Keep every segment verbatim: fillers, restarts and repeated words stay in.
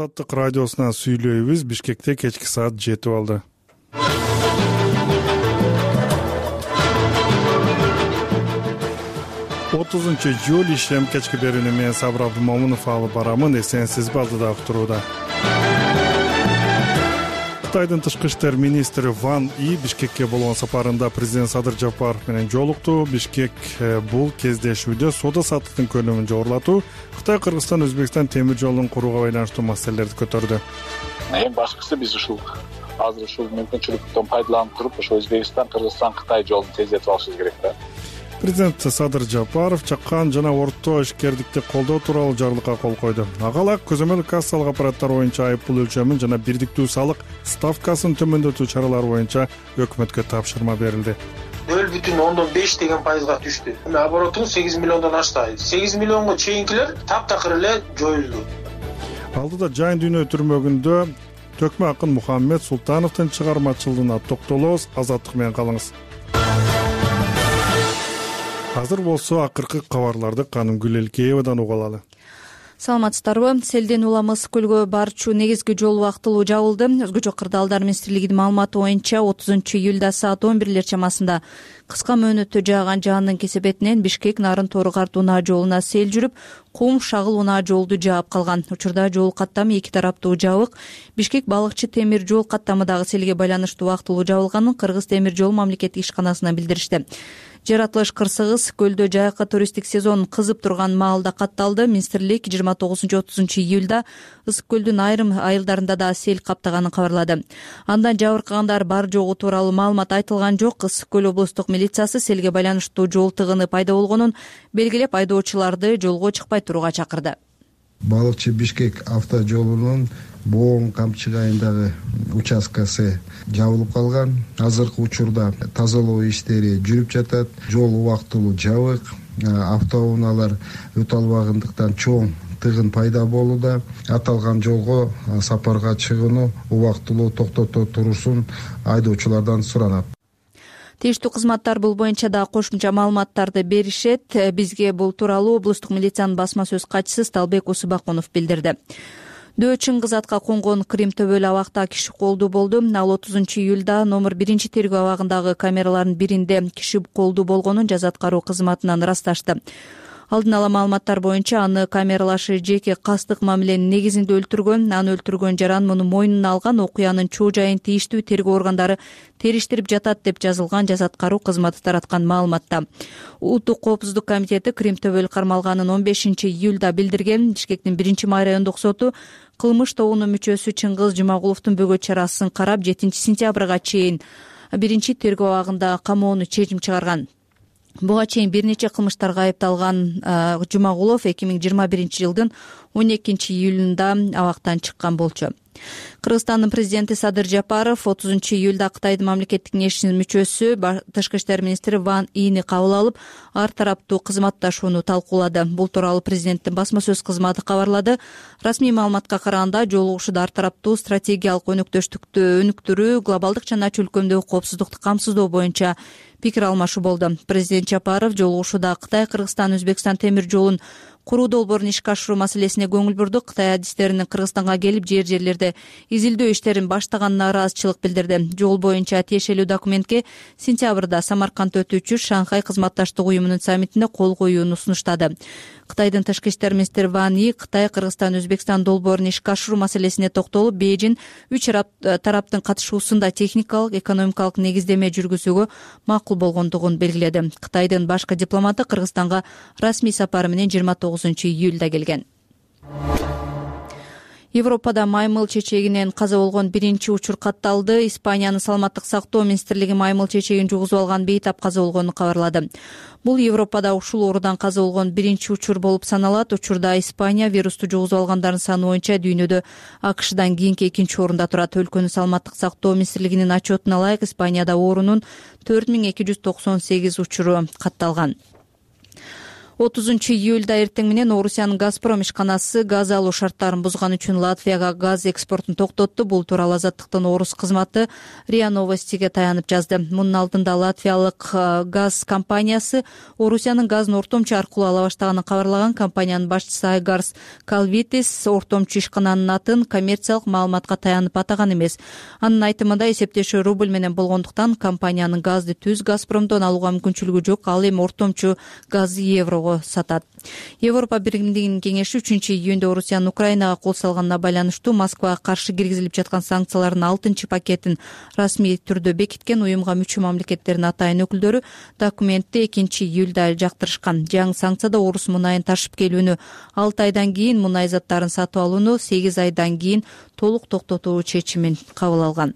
Азаттык радиосунан сүйлөйбүз. Бишкекте кечки саат жетип алды. отузунчу июль ишем кечки берүүнү мен Сабыр Абдымомунов алып барамын. Эсенсизби, алдыда уктурууда. Кытайдын тышкы иштер министри Ван И Бишкекке болгон сапарында президент Садыр Жапаров менен жолукту. Бишкек бул кездешүүдө соода саттыктын көлөмүн жогорулатуу, Кытай, Кыргызстан, Өзбекстан темир жолун курууга байланыштуу маселелерди көтөрдү. Эң башкысы биз ушул азыр ушул мүмкүнчүлүктөн пайдаланып туруп, ошо Өзбекстан, Кыргызстан, Кытай жолун тездетип алышыбыз керек да. Президент Садыр Жапаров чакан жана орто ишкердикти колдоо тууралуу жарлыкка кол койду. Ага эле көзөмөл кассалык аппараттар боюнча айыппул өлчөмүн жана бирдиктүү салык ставкасын төмөндөтүү чаралары боюнча өкмөткө тапшырма берилди. нөл бүтүн ондон беш деген пайызга түштү. Эми обороту сегиз миллиондон ашты. сегиз миллионго чейинкилер таптакыр эле жоюлду. Алдыда Жайын дүйнө түрмөгүндө Төкмө акын Мухаммед Султановдун чыгармачылыгына токтолобуз. Азаттык менен калыңыз. Азыр болсо акыркы кабарларды Канымгүл Элкеевадан уга алалы. Саламатсыздарбы? Селден улам Ысык көлгө барчу негизги жол убактылуу жабылды. Өзгөчө кырдаалдар министрлигинин маалыматы боюнча отузунчу июлда саат он бирлер чамасында кыска мөөнөттө жааган жаандын кесепетинен Бишкек Нарын Тору Картуу унаа жолуна сел жүрүп, Кум Шагыл унаа жолду жаап калган. Учурда жол каттамы эки тараптуу жабык. Бишкек Балыкчы темир жол каттамы дагы селге байланыштуу убактылуу жабылганын Кыргыз темир жол мамлекеттик ишканасынан билдиришти. Жаратылыш кырсыгыз көлдө жайкы туристтик сезон кызып турган маалда катталды. Министрлик жыйырма тогузунчу отузунчу июлда Ысык көлдүн айрым айылдарында да сел каптаганын кабарлады. Андан жабыркагандар бар жогу тууралуу маалымат айтылган жок. Ысык көл облустук милициясы селге байланыштуу жол тыгыны пайда болгонун белгилеп, айдоочуларды жолго чыкпай турууга чакырды. Балыкчы Бишкек авто жолунун Боон Камчык айылдагы участкасы жабылып калган. Азыркы учурда тазалоо иштери жүрүп жатат. Жол убактылуу жабык. Автоунаалар өтө албагандыктан чоң тыгын пайда болууда. Аталган жолго сапарга чыгууну убактылуу токтото турушун айдоочулардан суранат. Тийиштүү кызматтар бул боюнча да кошумча маалыматтарды беришет. Бизге бул тууралуу облустук милициянын басма сөз катчысы Сталбек Усубакунов билдирди. Дөө Чыңгыз атка конгон Крим төбөлү абакта киши колдуу болду. Ал отузунчу июлда номер биринчи тергөө абагындагы камералардын биринде киши колдуу болгонун жаза аткаруу кызматынан ырасташты. Алдын ала маалыматтар боюнча аны камералашы жеке кастык мамиленин негизинде өлтүргөн. Аны өлтүргөн жаран муну мойнуна алган. Окуянын чоо жайын тийиштүү тергөө органдары териштирип жатат деп жазылган жаза аткаруу кызматы тараткан маалыматта. Улуттук коопсуздук комитети Крим төбөлү кармалганын он бешинчи июлда билдирген. Бишкектин биринчи май райондук соту кылмыш тобунун мүчөсү Чыңгыз Жумагуловдун бөгөт чарасын карап жетинчи сентябрга чейин биринчи тергөө абагында камоону чечим чыгарган. Буга чейин бир нече кылмыштарга айыпталган Жумагулов эки миң жыйырма биринчи жылдын он экинчи июлунда абактан чыккан болчу. Кыргызстандын президенти Садыр Жапаров отузунчу июлда Кытайдын мамлекеттик кеңешинин мүчөсү тышкы иштер министри Ван Ини кабыл алып, ар тараптуу кызматташууну талкуулады. Бул тууралуу президенттин басма сөз кызматы кабарлады. Расмий маалыматка караганда, жолугушууда ар тараптуу стратегиялык өнөктөштүктү өнүктүрүү, глобалдык жана чөлкөмдөгү коопсуздукту камсыздоо боюнча пикир алмашуу болду. Президент Жапаров жолугушууда Кытай, Кыргызстан, Өзбекстан темир жолун куруу долбоорун ишке ашыруу маселесине көңүл бурду. Кытай адистеринин Кыргызстанга келип жер жерлерде изилдөө иштерин баштаганына ыраазычылык билдирди. Жол боюнча тиешелүү документке сентябрда Самаркандда өтүүчү Шанхай кызматташтык уюмунун саммитинде кол коюуну сунуштады. Кытайдын тышкы иштер министри Ван И Кытай, Кыргызстан, Өзбекстан долбоорун ишке ашыруу маселесине токтолуп, Бейжин үч тараптын катышуусунда техникалык, экономикалык негиздеме жүргүзүүгө макул болгондугун белгиледи. Кытайдын башкы дипломаты Кыргызстанга расмий сапары менен жыйырма тогузунчу июлда келген. Европада маймыл чечегинен каза болгон биринчи учур катталды. Испаниянын саламаттык сактоо министрлиги маймыл чечегин жугузуп алган бейтап каза болгонун кабарлады. Бул Европада ушул оорудан каза болгон биринчи учур болуп саналат. Учурда Испания вирусту жугузуп алгандардын саны боюнча дүйнөдө АКШдан кийинки экинчи орунда турат. Өлкөнүн саламаттык сактоо министрлигинин отчетуна ылайык, Испанияда оорунун төрт миң эки жүз токсон сегиз учуру катталган. отузунчу июлда эртең менен Орусиянын Газпром ишканасы газ алуу шарттарын бузган үчүн Латвияга газ экспортун токтотту. Бул тууралуу Азаттыктын орус кызматы РИА Новостиге таянып жазды. Мунун алдында латвиялык газ компаниясы Орусиянын газын ортомчу аркылуу ала баштаганын кабарлаган. Компаниянын башчысы Айгарс Калвитис ортомчу ишкананын атын коммерциялык маалыматка таянып атаган эмес. Анын айтымында эсептешүү рубль менен болгондуктан компаниянын газды түз Газпромдон алууга мүмкүнчүлүгү жок. Ал эми ортомчу газды еврого сатат. Европа Биримдигинин кеңеши үчүнчү июнда Орусиянын Украинага кол салганына байланыштуу Москвага каршы киргизилип жаткан санкциялардын алтынчы пакетин расмий түрдө бекиткен. Уюмга мүчө мамлекеттердин атайын өкүлдөрү документти экинчи июлда жактырышкан. Жаңы санкцияда орус мунайын ташып келүүнү алты айдан кийин, мунай заттарын сатып алууну сегиз айдан кийин толук токтотуу чечимин кабыл алган.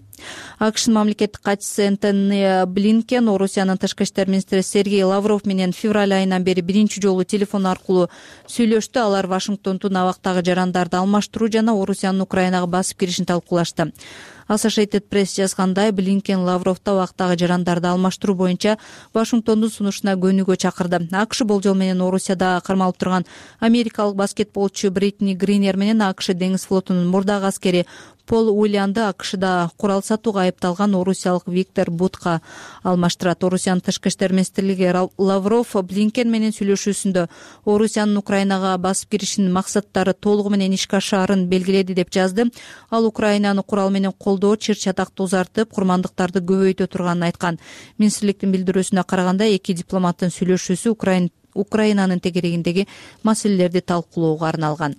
АКШнын мамлекеттик катчысы Энтони Блинкен Орусиянын тышкы иштер министри Сергей Лавров менен февраль айынан бери биринчи жолу телефон аркылуу сүйлөштү. Алар Вашингтондун абактагы жарандарды алмаштыруу жана Орусиянын Украинага басып киришин талкуулашты. Associated Press жазгандай, Блинкен Лавровду абактагы жарандарды алмаштыруу боюнча Вашингтондун сунушуна көнүүгө чакырды. АКШ болжол менен Орусияда кармалып турган америкалык баскетболчу Бритни Гринер менен АКШ деңиз флотунун мурдагы аскери Пол Уильянды АКШда курал сатууга айыпталган орусиялык Виктор Бутка алмаштырат. Орусиянын тышкы иштер министрлиги Лавров Блинкен менен сүйлөшүүсүндө Орусиянын Украинага басып киришинин максаттары толугу менен ишке ашаарын белгиледи деп жазды. Ал Украинаны курал менен колдоо, чыр-чатакты узартып, курмандыктарды көбөйтө турганын айткан. Министрликтин билдирүүсүнө караганда, эки дипломаттын сүйлөшүүсү Украин Украинанын тегерегиндеги маселелерди талкуулоого арналган.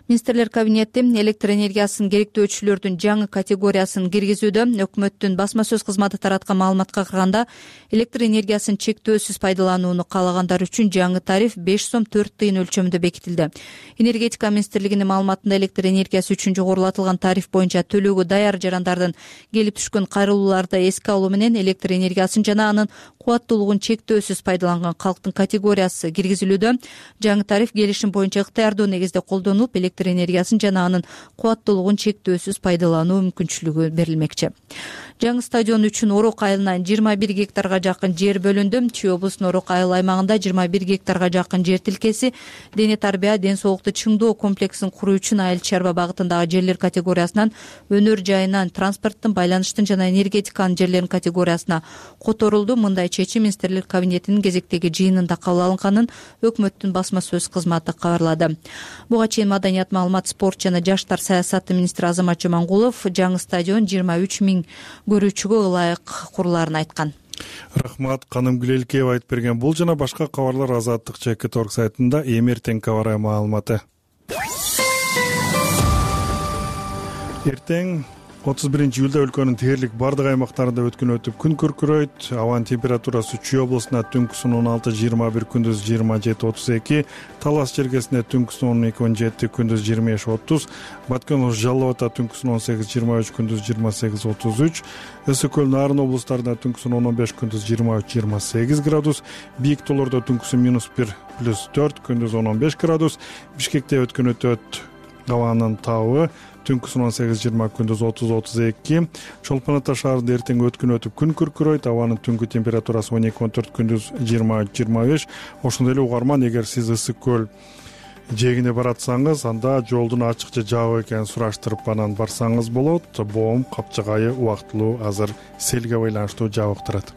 Министрлер кабинети электр энергиясынын керектөөчүлөрдүн жаңы категориясын киргизүүдө. Өкмөттүн басма сөз кызматы тараткан маалыматка караганда, электр энергиясын чектөөсүз пайдаланууну каалагандар үчүн жаңы тариф беш сом төрт тыйын өлчөмүндө бекитилди. Энергетика министрлигинин маалыматында электр энергиясы үчүн жогорулатылган тариф боюнча төлөөгө даяр жарандардын келип түшкөн кайрылууларды эске алуу менен электр энергиясын жана анын кубаттуулугун чектөөсүз пайдаланган калктын категориясы киргизилүүдө. Жаңы тариф келишим боюнча ыктыярдуу негизде колдонулуп, электр энергиясын жана анын кубаттуулугун чектөөсүз пайдалануу мүмкүнчүлүгү берилмекчи. Жаңы стадион үчүн Орок айылынан жыйырма бир гектарга жакын жер бөлүндү. Чүй облусунун Орок айыл аймагында жыйырма бир гектарга жакын жер тилкеси дене тарбия, ден соолукту чыңдоо комплексин куруу үчүн айыл чарба багытындагы жерлер категориясынан өнөр жайынан, транспорттун, байланыштын жана энергетиканын жерлеринин категориясына которулду. Мындай чечим министрлер кабинетинин кезектеги жыйынында кабыл алынганын өкмөттүн басма сөз кызматы кабарлады. Буга чейин маданият, маалымат, спорт жана жаштар саясаты министри Азамат Жомангулов жаңы стадион жыйырма үч миң көрүүчүгө ылайык курулаарын айткан. Рахмат, Каным Гүлелкеева айтып берген. Бул жана башка кабарлар Азаттык чекит орг сайтында эмертең кабары маалыматы. Эртең отуз биринчи июлда өлкөнүн дээрлик бардык аймактарында өткөн өтүп күн күркүрөйт. Абанын температурасы Чүй облусунда түнкүсүн он алты жыйырма бир, күндүз жыйырма жети отуз эки, Талас Черкесинде түнкүсүн он эки он жети, күндүз жыйырма беш отуз, Баткен Жалал Абадта түнкүсүн он сегиз жыйырма үч, күндүз жыйырма сегиз отуз үч, Ысык көл, Нарын облустарында түнкүсүн он беш, күндүз жыйырма үч жыйырма сегиз градус, Бийик тоолордо түнкүсүн минус бир плюс төрт, күндүз он беш градус, Бишкекте өткөн өтөт абанын табы түнкүсүн он сегиз жыйырма, күндүз отуз отуз эки, Чолпон Ата шаарында эртең өткөн өтүп күн күркүрөйт. Абанын түнгү температурасы он эки он төрт, күндүз жыйырма үч жыйырма беш. Ошондой эле угарман, эгер сиз Ысык көл жээгине баратсаңыз, анда жолдун ачык же жабык экенин сураштырып анан барсаңыз болот. Боом Капчыгайы убактылуу азыр селге байланыштуу жабык турат.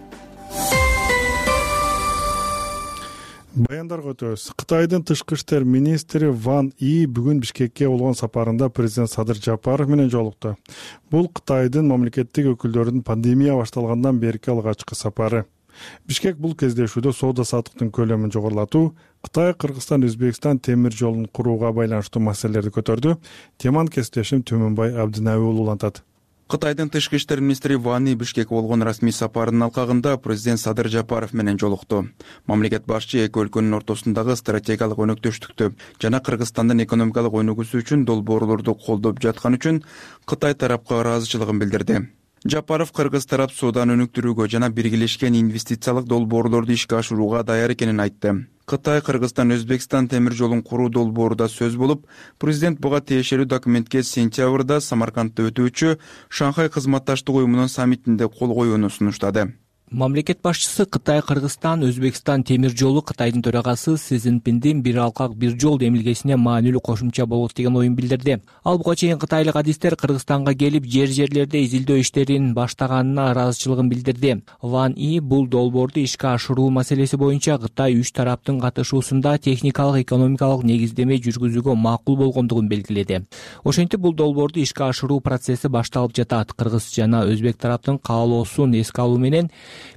Баяндарга өтөбүз. Кытайдын тышкы иштер министри Ван И бүгүн Бишкекке болгон сапарында президент Садыр Жапаров менен жолукту. Бул Кытайдын мамлекеттик өкүлдөрүнүн пандемия башталгандан берки алгачкы сапары. Бишкек бул кездешүүдө соода саттыктын көлөмүн жогорулатуу, Кытай, Кыргызстан, Өзбекстан темир жолун курууга байланыштуу маселелерди көтөрдү. Теманы кесиптешим Төмөнбай Абдынаби улантат. Кытайдын тышкы иштер министри Ван И Бишкекке болгон расмий сапарынын алкагында президент Садыр Жапаров менен жолукту. Мамлекет башчы эки өлкөнүн ортосундагы стратегиялык өнөктөштүктү жана Кыргызстандын экономикалык өнүгүүсү үчүн долбоорлорду колдоп жаткан үчүн Кытай тарапка ыраазычылыгын билдирди. Жапаров Кыргыз тарап соодан өнүктүрүүгө жана биргелешкен инвестициялык долбоорлорду ишке ашырууга даяр экенин айтты. Кытай, Кыргызстан, Өзбекстан темир жолун куруу долбоору да сөз болуп, президент буга тиешелүү документке сентябрда Самаркандда өтүүчү Шанхай кызматташтык уюмунун саммитинде кол коюуну сунуштады. Мамлекет башчысы Кытай, Кыргызстан, Өзбекстан темир жолу Кытайдын төрагасы Си Цзиньпиндин бир алкак бир жол демилгесине маанилүү кошумча болот деген оюн билдирди. Ал буга чейин кытайлык адистер Кыргызстанга келип жер жерлерде изилдөө иштерин баштаганына ыраазычылыгын билдирди. Ван И бул долбоорду ишке ашыруу маселеси боюнча Кытай үч тараптын катышуусунда техникалык, экономикалык негиздеме жүргүзүүгө макул болгондугун белгиледи. Ошентип бул долбоорду ишке ашыруу процесси башталып жатат. Кыргыз жана өзбек тараптын каалоосун эске алуу менен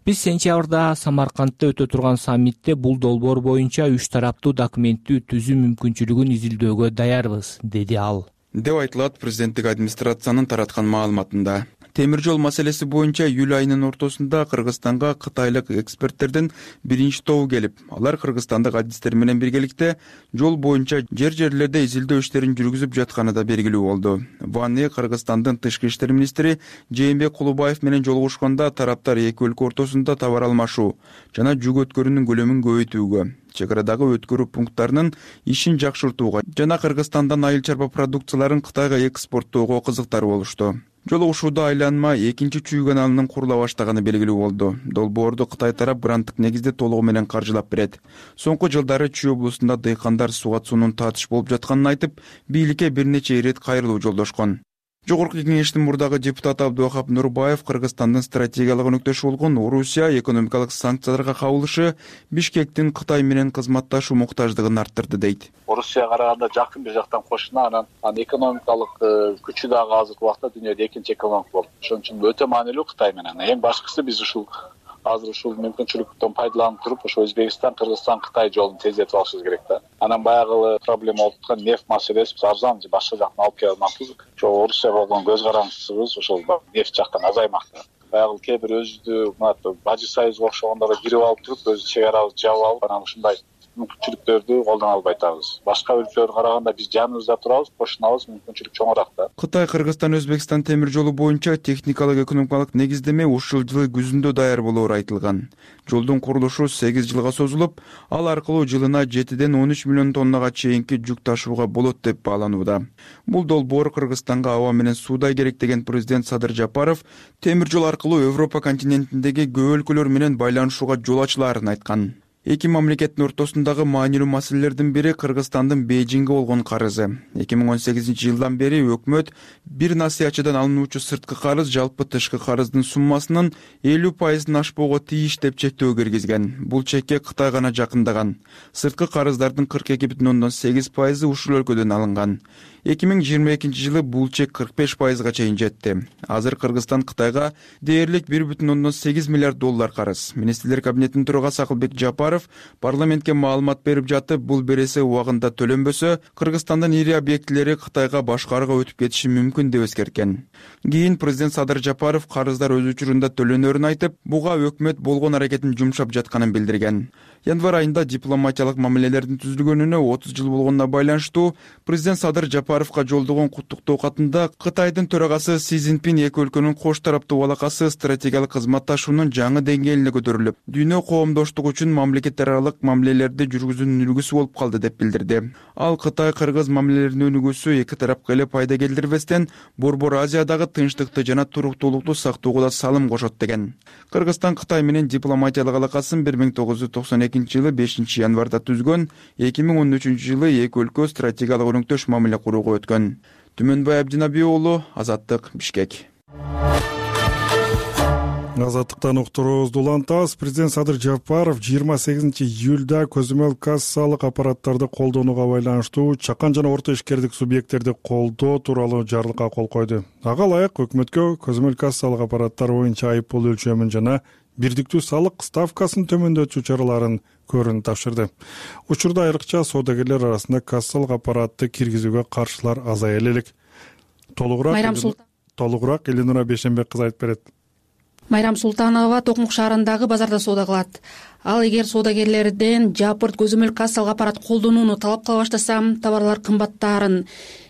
биз сентябрда Самаркандта өтө турган саммитте бул долбоор боюнча үч тараптуу документти түзүү мүмкүнчүлүгүн изилдөөгө даярбыз, деди ал. Деп айтылат президенттик администрациянын тараткан маалыматында. Темир жол маселеси боюнча июль айынын ортосунда Кыргызстанга кытайлык эксперттердин биринчи тобу келип, алар кыргызстандык адистер менен биргеликте жол боюнча жер жерлерде изилдөө иштерин жүргүзүп жатканы да белгилүү болду. Ван И Кыргызстандын тышкы иштер министри Жээнбек Кулубаев менен жолугушканда тараптар эки өлкө ортосунда товар алмашуу жана жүк өткөрүүнүн көлөмүн көбөйтүүгө, чек арадагы өткөрүү пункттарынын ишин жакшыртууга жана Кыргызстандан айыл чарба продукцияларын Кытайга экспорттоого кызыктар болушту. Жолугушууда айланма экинчи чүй каналынын курула баштаганы белгилүү болду. Долбоорду Кытай тарап гранттык негизде толугу менен каржылап берет. Соңку жылдары Чүй облусунда дыйкандар суга суунун татыш болуп жатканын айтып, бийликке бир нече ирет кайрылуу жолдошкон. Жогорку кеңештин мурдагы депутаты Абдувахап Нурбаев Кыргызстандын стратегиялык өнөктөшү болгон Орусия экономикалык санкцияларга кабылышы Бишкектин Кытай менен кызматташуу муктаждыгын арттырды дейт. Орусияга караганда жакын бир жактан кошуна, анан экономикалык күчү дагы азыркы убакта дүйнөдө экинчи экономика болуп. Ошон үчүн өтө маанилүү Кытай менен. Эң башкысы биз ушул азыр ушул мүмкүнчүлүктөн пайдаланып туруп, ошо Өзбекстан, Кыргызстан, Кытай жолун тездетип алышыбыз керек да. Анан баягы проблема болуп аткан нефть маселеси биз арзан же башка жактан алып келе алмакпыз. Ошо Орусия болгон көз карандысыбыз ошол нефть жактан азаймак. Баягы кээ бир өзүдү мына Бажы Союзга окшогондорго кирип алып туруп, өз чек арабызды жаап алып, анан ушундай мүмкүнчүлүктөрдү колдоно албай атабыз. Башка өлкөлөргө караганда биз жаныбызда турабыз, кошунабыз, мүмкүнчүлүк чоңураак да. Кытай, Кыргызстан, Өзбекстан темир жолу боюнча техникалык, экономикалык негиздеме ушул жылы күзүндө даяр болоору айтылган. Жолдун курулушу сегиз жылга созулуп, ал аркылуу жылына жетиден он үч миллион тоннага чейинки жүк ташууга болот деп бааланууда. Бул долбоор Кыргызстанга аба менен суудай керек деген президент Садыр Жапаров темир жол аркылуу Европа континентиндеги көп өлкөлөр менен байланышууга жол ачылаарын айткан. Эки мамлекеттин ортосундагы маанилүү маселелердин бири Кыргызстандын Бейжиңге болгон карызы. эки миң он сегизинчи жылдан бери өкмөт бир насыячыдан алынуучу сырткы карыз жалпы тышкы карыздын суммасынын элүү пайызын ашпоого тийиш деп чектөө киргизген. Бул чекке Кытай гана жакындаган. Сырткы карыздардын кырк эки бүтүн ондон сегиз пайызы ушул өлкөдөн алынган. эки миң жыйырма экинчи жылы бул чек кырк беш пайызга чейин жетти. Азыр Кыргызстан Кытайга дээрлик бир бүтүн ондон сегиз миллиард доллар карыз. Министрлер кабинетинин төрагасы Акылбек Жапаров парламентке маалымат берип жатып, бул бересе убагында төлөнбөсө, Кыргызстандын ири объектилери Кытайга башкарууга өтүп кетиши мүмкүн деп эскерткен. Кийин президент Садыр Жапаров карыздар өз учурунда төлөнөрүн айтып, буга өкмөт болгон аракетин жумшап жатканын билдирген. Январь айында дипломатиялык мамилелердин түзүлгөнүнө отуз жыл болгонуна байланыштуу президент Садыр Жапаровго жолдогон куттуктоо катында Кытайдын төрагасы Си Цзиньпин эки өлкөнүн кош тараптуу алакасы стратегиялык кызматташуунун жаңы деңгээлине көтөрүлүп, дүйнө коомдоштугу үчүн мамлекеттер аралык мамилелерди жүргүзүүнүн үлгүсү болуп калды деп билдирди. Ал Кытай-Кыргыз мамилелеринин өнүгүүсү эки тарапка эле пайда келтирбестен, Борбор Азиядагы тынчтыкты жана туруктуулукту сактоого да салым кошот деген. Кыргызстан Кытай менен дипломатиялык алакасын бир миң тогуз жүз токсон экинчи жылы бешинчи январда түзгөн, эки миң он үчүнчү жылы эки өлкө стратегиялык өнөктөш мамиле курууга өткөн. Түмөнбай Абдинабий уулу, Азаттык, Бишкек. Азаттыктан уктуруубузду улантабыз. Президент Садыр Жапаров жыйырма сегизинчи июлда көзөмөл кассалык аппараттарды колдонууга байланыштуу чакан жана орто ишкердик субъекттерди колдоо тууралуу жарлыкка кол койду. Ага ылайык өкмөткө көзөмөл кассалык аппараттар боюнча айыппул өлчөмүн жана бирдиктүү салык ставкасын төмөндөтүү чараларын көрүүнү тапшырды. Учурда айрыкча соодагерлер арасында кассалык аппаратты киргизүүгө каршылар азая элек. Толугураак толугураак Эленура Бейшенбек кызы айтып берет. Майрам Султанова Токмук шаарындагы базарда соода кылат. Ал эгер соодагерлерден жапырт көзөмөл кассалык аппарат колдонууну талап кыла баштаса, товарлар кымбаттаарын,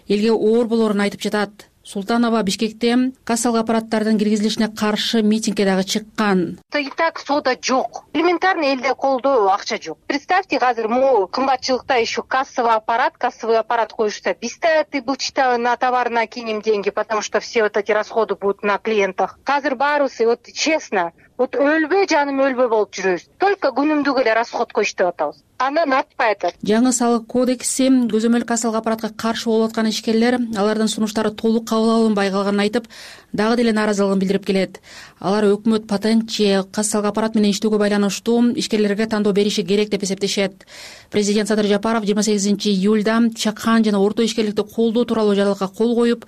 элге оор болоорун айтып жатат. Султанова Бишкекте кассалык аппараттардын киргизилишине каршы митингге дагы чыккан. И так соода жок. Элементарно элде колдо акча жок. Представьте, азыр могу кымбатчылыкта еще кассовый аппарат, кассовый аппарат коюшса, биз-то ты былчта на товар накинем деньги, потому что все вот эти расходы будут на клиентах. Азыр баарыбыз, вот честно, вот өлбө жаным өлбө болуп жүрөбүз, только күнүмдүк эле расходко иштеп атабыз, андан артпай атат. Жаңы салык кодекси көзөмөл кассалык аппаратка каршы болуп аткан ишкерлер алардын сунуштары толук кабыл алынбай калганын айтып, дагы деле нааразылыгын билдирип келет. Алар өкмөт патент же кассалык аппарат менен иштөөгө байланыштуу ишкерлерге тандоо бериши керек деп эсептешет. Президент Садыр Жапаров жыйырма сегизинчи июлда чакан жана орто ишкерликти колдоо тууралуу жарлыкка кол коюп,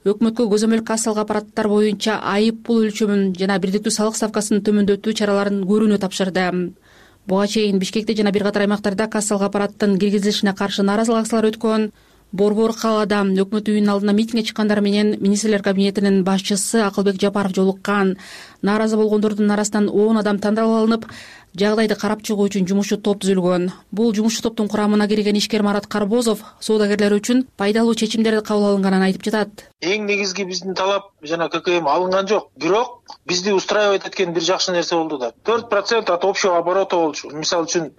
өкмөткө көзөмөл кассалык аппараттар боюнча айып пул өлчөмүн жана бирдиктүү салык ставкасын төмөндөтүү чараларын көрүүнү тапшырды. Буга чейин Бишкекте жана бир катар аймактарда кассалык аппараттын киргизилишине каршы нааразылык акциялары өткөн. Борбор калаада өкмөт үйүнүн алдына митингге чыккандар менен министрлер кабинетинин башчысы Акылбек Жапаров жолуккан. Нааразы болгондордун арасынан он адам тандалып алынып, жагдайды карап чыгуу үчүн жумушчу топ түзүлгөн. Бул жумушчу топтун курамына кирген ишкер Марат Карбозов соодагерлер үчүн пайдалуу чечимдер кабыл алынганын айтып жатат. Эң негизги биздин талап жана ККМ алынган жок, бирок бизди устраивать эткен бир жакшы нерсе болду да. төрт процент от общего оборота болчу. Мисалы үчүн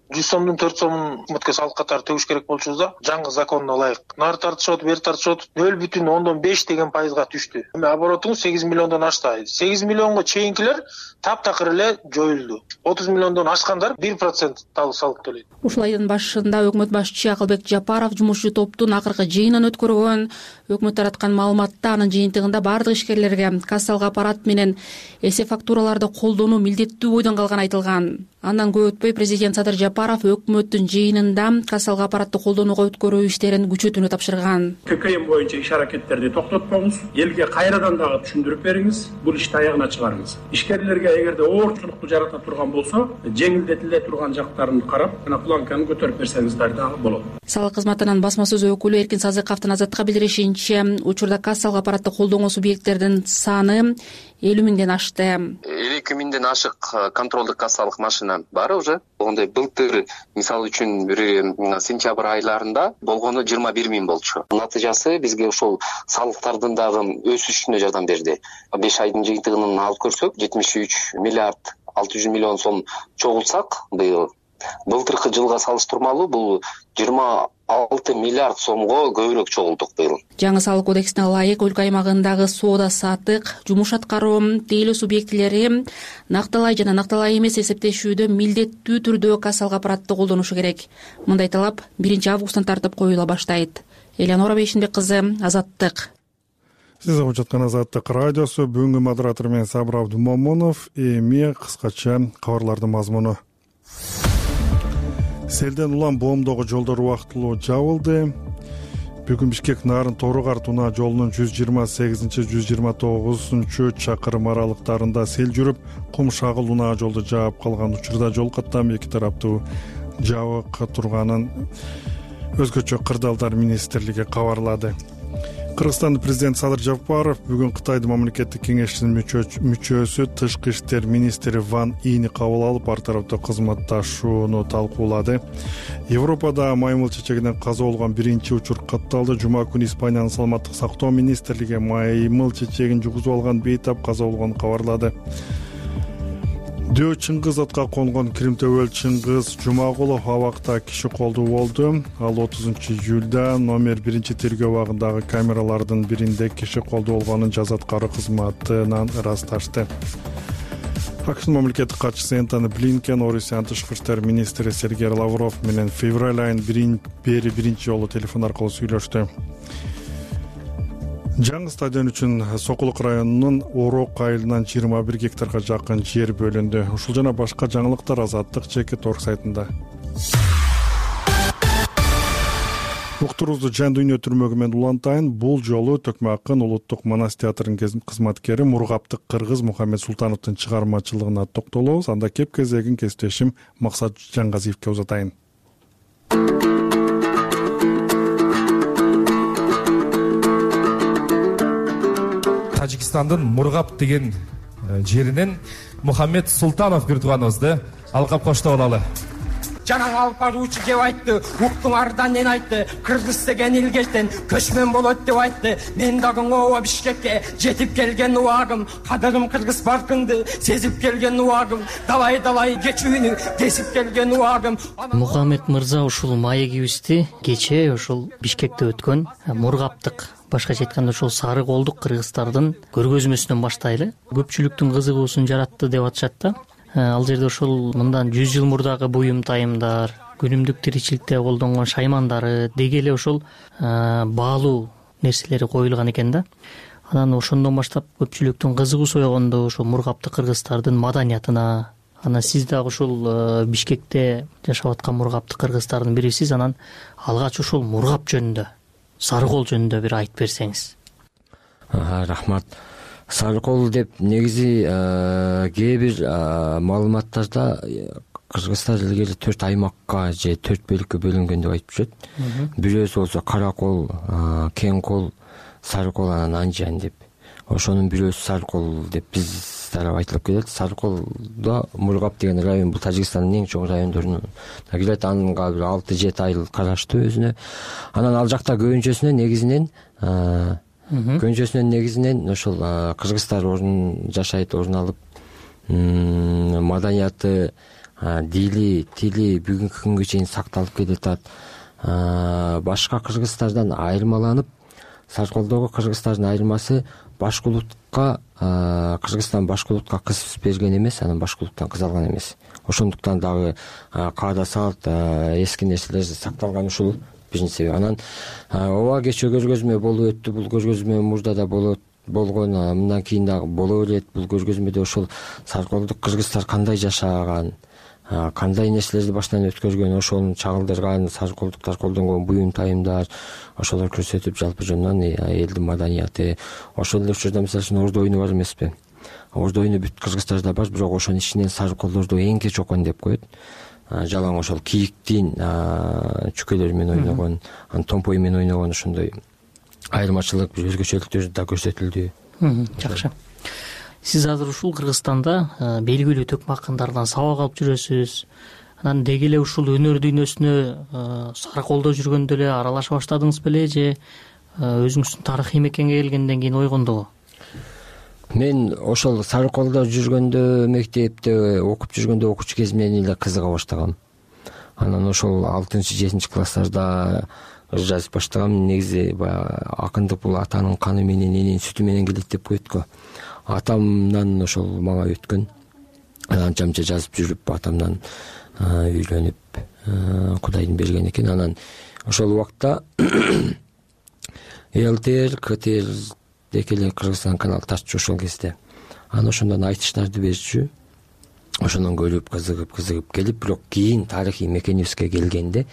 жүз сомдун төрт сомун өкмөткө салык катары төгүш керек болчубуз да, жаңы законуна ылайык. Нары тартышып, бери тартышып, нөл бүтүн ондон беш деген пайызга түштү. Эми оборотуңуз сегиз миллиондон ашты. сегиз миллионго чейинкилер таптакыр эле жоюлду. отуз миллиондон ашкандар бир процент салык төлөйт. Ушул айдын башында өкмөт башчысы Акылбек Жапаров жумушчу топтун акыркы жыйынын өткөргөн. Өкмөт тараткан маалыматта анын жыйынтыгында бардык ишкерлерге кассалык аппарат менен эсеп фактураларды колдонуу милдеттүү бойдон калганы айтылган. Андан көп өтпөй президент Садыр Жапаров өкмөттүн жыйынында кассалык аппаратты колдонууга өткөрүү иштерин күчөтүүнү тапшырган. ККМ боюнча иш аракеттерди токтотпоңуз, элге кайрадан дагы түшүндүрүп бериңиз, бул ишти аягына чыгарыңыз. Ишкерлерге эгерде оорчулукту жарата турган болсо, жеңилдетиле турган жактарын карап, жана планканы көтөрүп берсеңиздер дагы болот. Салык кызматынын басма сөз өкүлү Эркин Сазыковдун Азаттыкка билдиришинче, учурда кассалык аппаратты колдонгон субъекттердин саны элүү миңден ашты. элүү эки миңден ашык контролдук кассалык машина бар уже. Ондай былтыр мисалы үчүн бир сентябрь айларында болгону жыйырма бир миң болчу. Натыйжасы бизге ушул салыктардын дагы өсүшүнө жардам берди. беш айдын жыйынтыгын алып көрсөк, жетимиш үч миллиард алты жүз миллион сом чогултсак, быйыл былтыркы жылга салыштырмалуу бул жыйырма алты миллиард сомго көбүрөөк чогулдук быйыл. Жаңы салык кодексине ылайык өлкө аймагындагы соода саттык, жумуш аткаруу, тейлөө субъектилери накталай жана накталай эмес эсептешүүдө милдеттүү түрдө кассалык аппаратты колдонушу керек. Мындай талап биринчи августтан тартып коюла баштайт. Элеонора Бейшинбек кызы, Азаттык. Сиз угуп жаткан Азаттык радиосу, бүгүнкү модератор мен Сабыр Абдумомунов. Эми кыскача кабарлардын мазмуну. Селден улам боомдогу жолдор убактылуу жабылды. Бүгүн Бишкек Нарын Торугарт унаа жолунун жүз жыйырма сегизинчи жүз жыйырма тогузунчу чакырым аралыктарында сел жүрүп, кум шагыл унаа жолду жаап калган учурда жол каттам эки тараптуу жабык турганын өзгөчө кырдаалдар министрлиги кабарлады. Кыргызстандын президенти Садыр Жапаров бүгүн Кытайдын мамлекеттик кеңешинин мүчөсү тышкы иштер министри Ван Ини кабыл алып, ар тараптуу кызматташууну талкуулады. Европада маймыл чечегинен каза болгон биринчи учур катталды. Жума күнү Испаниянын саламаттык сактоо министрлиги маймыл чечегин жугузуп алган бейтап каза болгонун кабарлады. Дөө чыңгыз атка конгон Кримтөбөл Чыңгыз Жумагулов абакта киши колдуу болду. Ал отузунчу июлда номер биринчи тергөө абагындагы камералардын биринде киши колдуу болгонун жаза аткаруу кызматынан ырасташты. АКШнын мамлекеттик катчысы Энтони Блинкен, Орусиянын тышкы иштер министри Сергей Лавров менен февраль айынын бери биринчи жолу телефон аркылуу сүйлөштү. Жаңы стадион үчүн Сокулук районунун Орок айылынан жыйырма бир гектарга жакын жер бөлүндү. Ушул жана башка жаңылыктар Азаттык Чекит орг сайтында. Уктуруубузду Жан дүйнө түрмөгү менен улантайын. Бул жолу Төкмө Акын улуттук манас театрынын кызматкери Мургаптык Кыргыз Мухаммед Султановдун чыгармачылыгына токтолобуз. Анда кеп кезегин кесиптешим Максат Жаңгазиевке узатайын. Тажикстандын Мургап деген жеринен Мухаммед Султанов бир тууганыбызды алкап коштоп алалы. жанаң алып баруучу кеп айтты, уктуңар да нени айтты, кыргыз деген илгечтен көчмөн болот деп айтты. Мен дагы ооба Бишкекке жетип келген убагым, кадырым кыргыз баркыңды сезип келген убагым, далай далай кечүүнү кесип келген убагым. Мухаммед мырза ушул маегибизди кечээ ушул Бишкекте өткөн Мургаптык, башкача айтканда ушул сары колдук кыргыздардын көргөзмөсүнөн баштайлы. Көпчүлүктүн кызыгуусун жаратты деп атышат да. Ал жерде ушул мындан жүз жыл мурдагы буюм тайымдар, күнүмдүк тиричиликте колдонгон шаймандары, деги эле ушул баалуу нерселери коюлган экен да. Анан ошондон баштап көпчүлүктүн кызыгуусу ойгонду ушул Мургаптык кыргыздардын маданиятына. Анан сиз дагы ушул Бишкекте жашап аткан Мургаптык кыргыздардын бирисиз. Анан алгач ушул Мургап жөнүндө, Сарыкол жөнүндө бир айтып берсеңиз. Рахмат. Сарыкол деп негизи кээ бир маалыматтарда Кыргызстан илгери төрт аймакка же төрт бөлүккө бөлүнгөн деп айтып жүрөт. Бирөөсү болсо Каракол, Кең кол, Сарыкол, анан Анжан деп. Ошонун бирөөсү Сарыкол деп биз тарап айтылып келет. Сарыколдо Мургап деген район бул Тажикстандын эң чоң райондорунун кирет. Анга бир алты жети айыл караштуу өзүнө. Анан ал жакта көбүнчөсүнө негизинен көбүнчөсүнөн негизинен ошол кыргыздар орун жашайт, орун алып, маданияты, дили, тили бүгүнкү күнгө чейин сакталып келатат. Башка кыргыздардан айырмаланып, Сарыколдогу кыргыздардын айырмасы башкулутка, Кыргызстан башкулутка кыз берген эмес, анан башкулуттан кыз алган эмес. Ошондуктан дагы каада салт, эски нерселер сакталган, ушул биринчи себеп. Анан ооба кечээ көргөзмө болуп өттү. Бул көргөзмө мурда да болот болгон, мындан кийин дагы боло берет. Бул көргөзмөдө ошол Сарыколдук кыргыздар кандай жашаган, кандай нерселерди башынан өткөргөн, ошону чагылдырган, Сарыколдуктар колдонгон буюм тайымдар, ошолор көрсөтүп, жалпы жөнүнөн элдин маданияты. Ошол эле учурда мисалы үчүн ордо оюну бар эмеспи? Ордо оюну бүт кыргыздарда бар, бирок ошонун ичинен Сарыколдордо эң кеч окон деп коет. Жалаң ошол кийиктин чүкөлөрү менен ойногон, анан томпой менен ойногон, ошондой айырмачылык, бир өзгөчөлүктөр да көрсөтүлдү. Жакшы. Сиз азыр ушул Кыргызстанда белгилүү төкмө акындардан сабак алып жүрөсүз. Анан деги эле ушул өнөр дүйнөсүнө Сарыколдо жүргөндө эле аралаша баштадыңыз беле, же өзүңүздүн тарыхый мекенге келгенден кийин ойгондубу? Мен ошол Сарыколдо жүргөндө, мектепте окуп жүргөндө, окуучу кезимден эле кызыга баштагам. Анан ошол алтынчы жетинчи класстарда ыр жазып баштагам. Негизи баягы акындык бул атанын каны менен, эненин сүтү менен келет деп коет го. Атамдан ошол мага өткөн. Анча мынча жазып жүрүп, атамдан үйлөнүп, Кудайдын берген экен. Анан ошол убакта ЛТР, КТР деги эле Кыргызстан канал тартчу ошол кезде. Анан ошондон айтыштарды берчү. Ошондон көрүп, кызыгып, кызыгып келип, бирок кийин тарыхый мекенибизге келгенде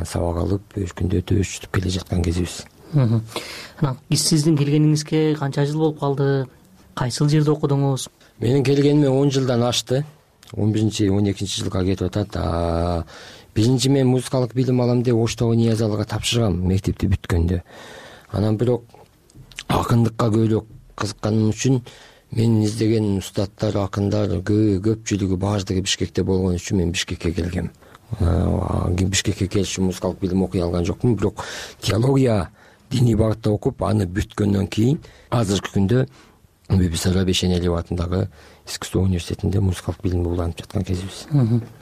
сабак алып, өркүндөтүп, өчүтүп келе жаткан кезибиз. Анан сиздин келгениңизге канча жыл болуп калды? Кайсыл жерде окудуңуз? Менин келгениме он жылдан ашты. он биринчи он экинчи жылга кетип атат. Биринчи мен музыкалык билим алам деп Оштогу Ниязалыга тапшыргам мектепти бүткөндө. Анан бирок акындыкка көбүрөөк кызыкканым үчүн мен издеген устаттар, акындар көпчүлүгү баардыгы Бишкекте болгон үчүн мен Бишкекке келгем. Бишкекке келиши музыкалык билим окуй алган жокмун, бирок теология, диний багытта окуп, аны бүткөндөн кийин азыркы күндө Бибисара Бешенелиев атындагы искусство университетинде музыкалык билимди улантып жаткан кезибиз.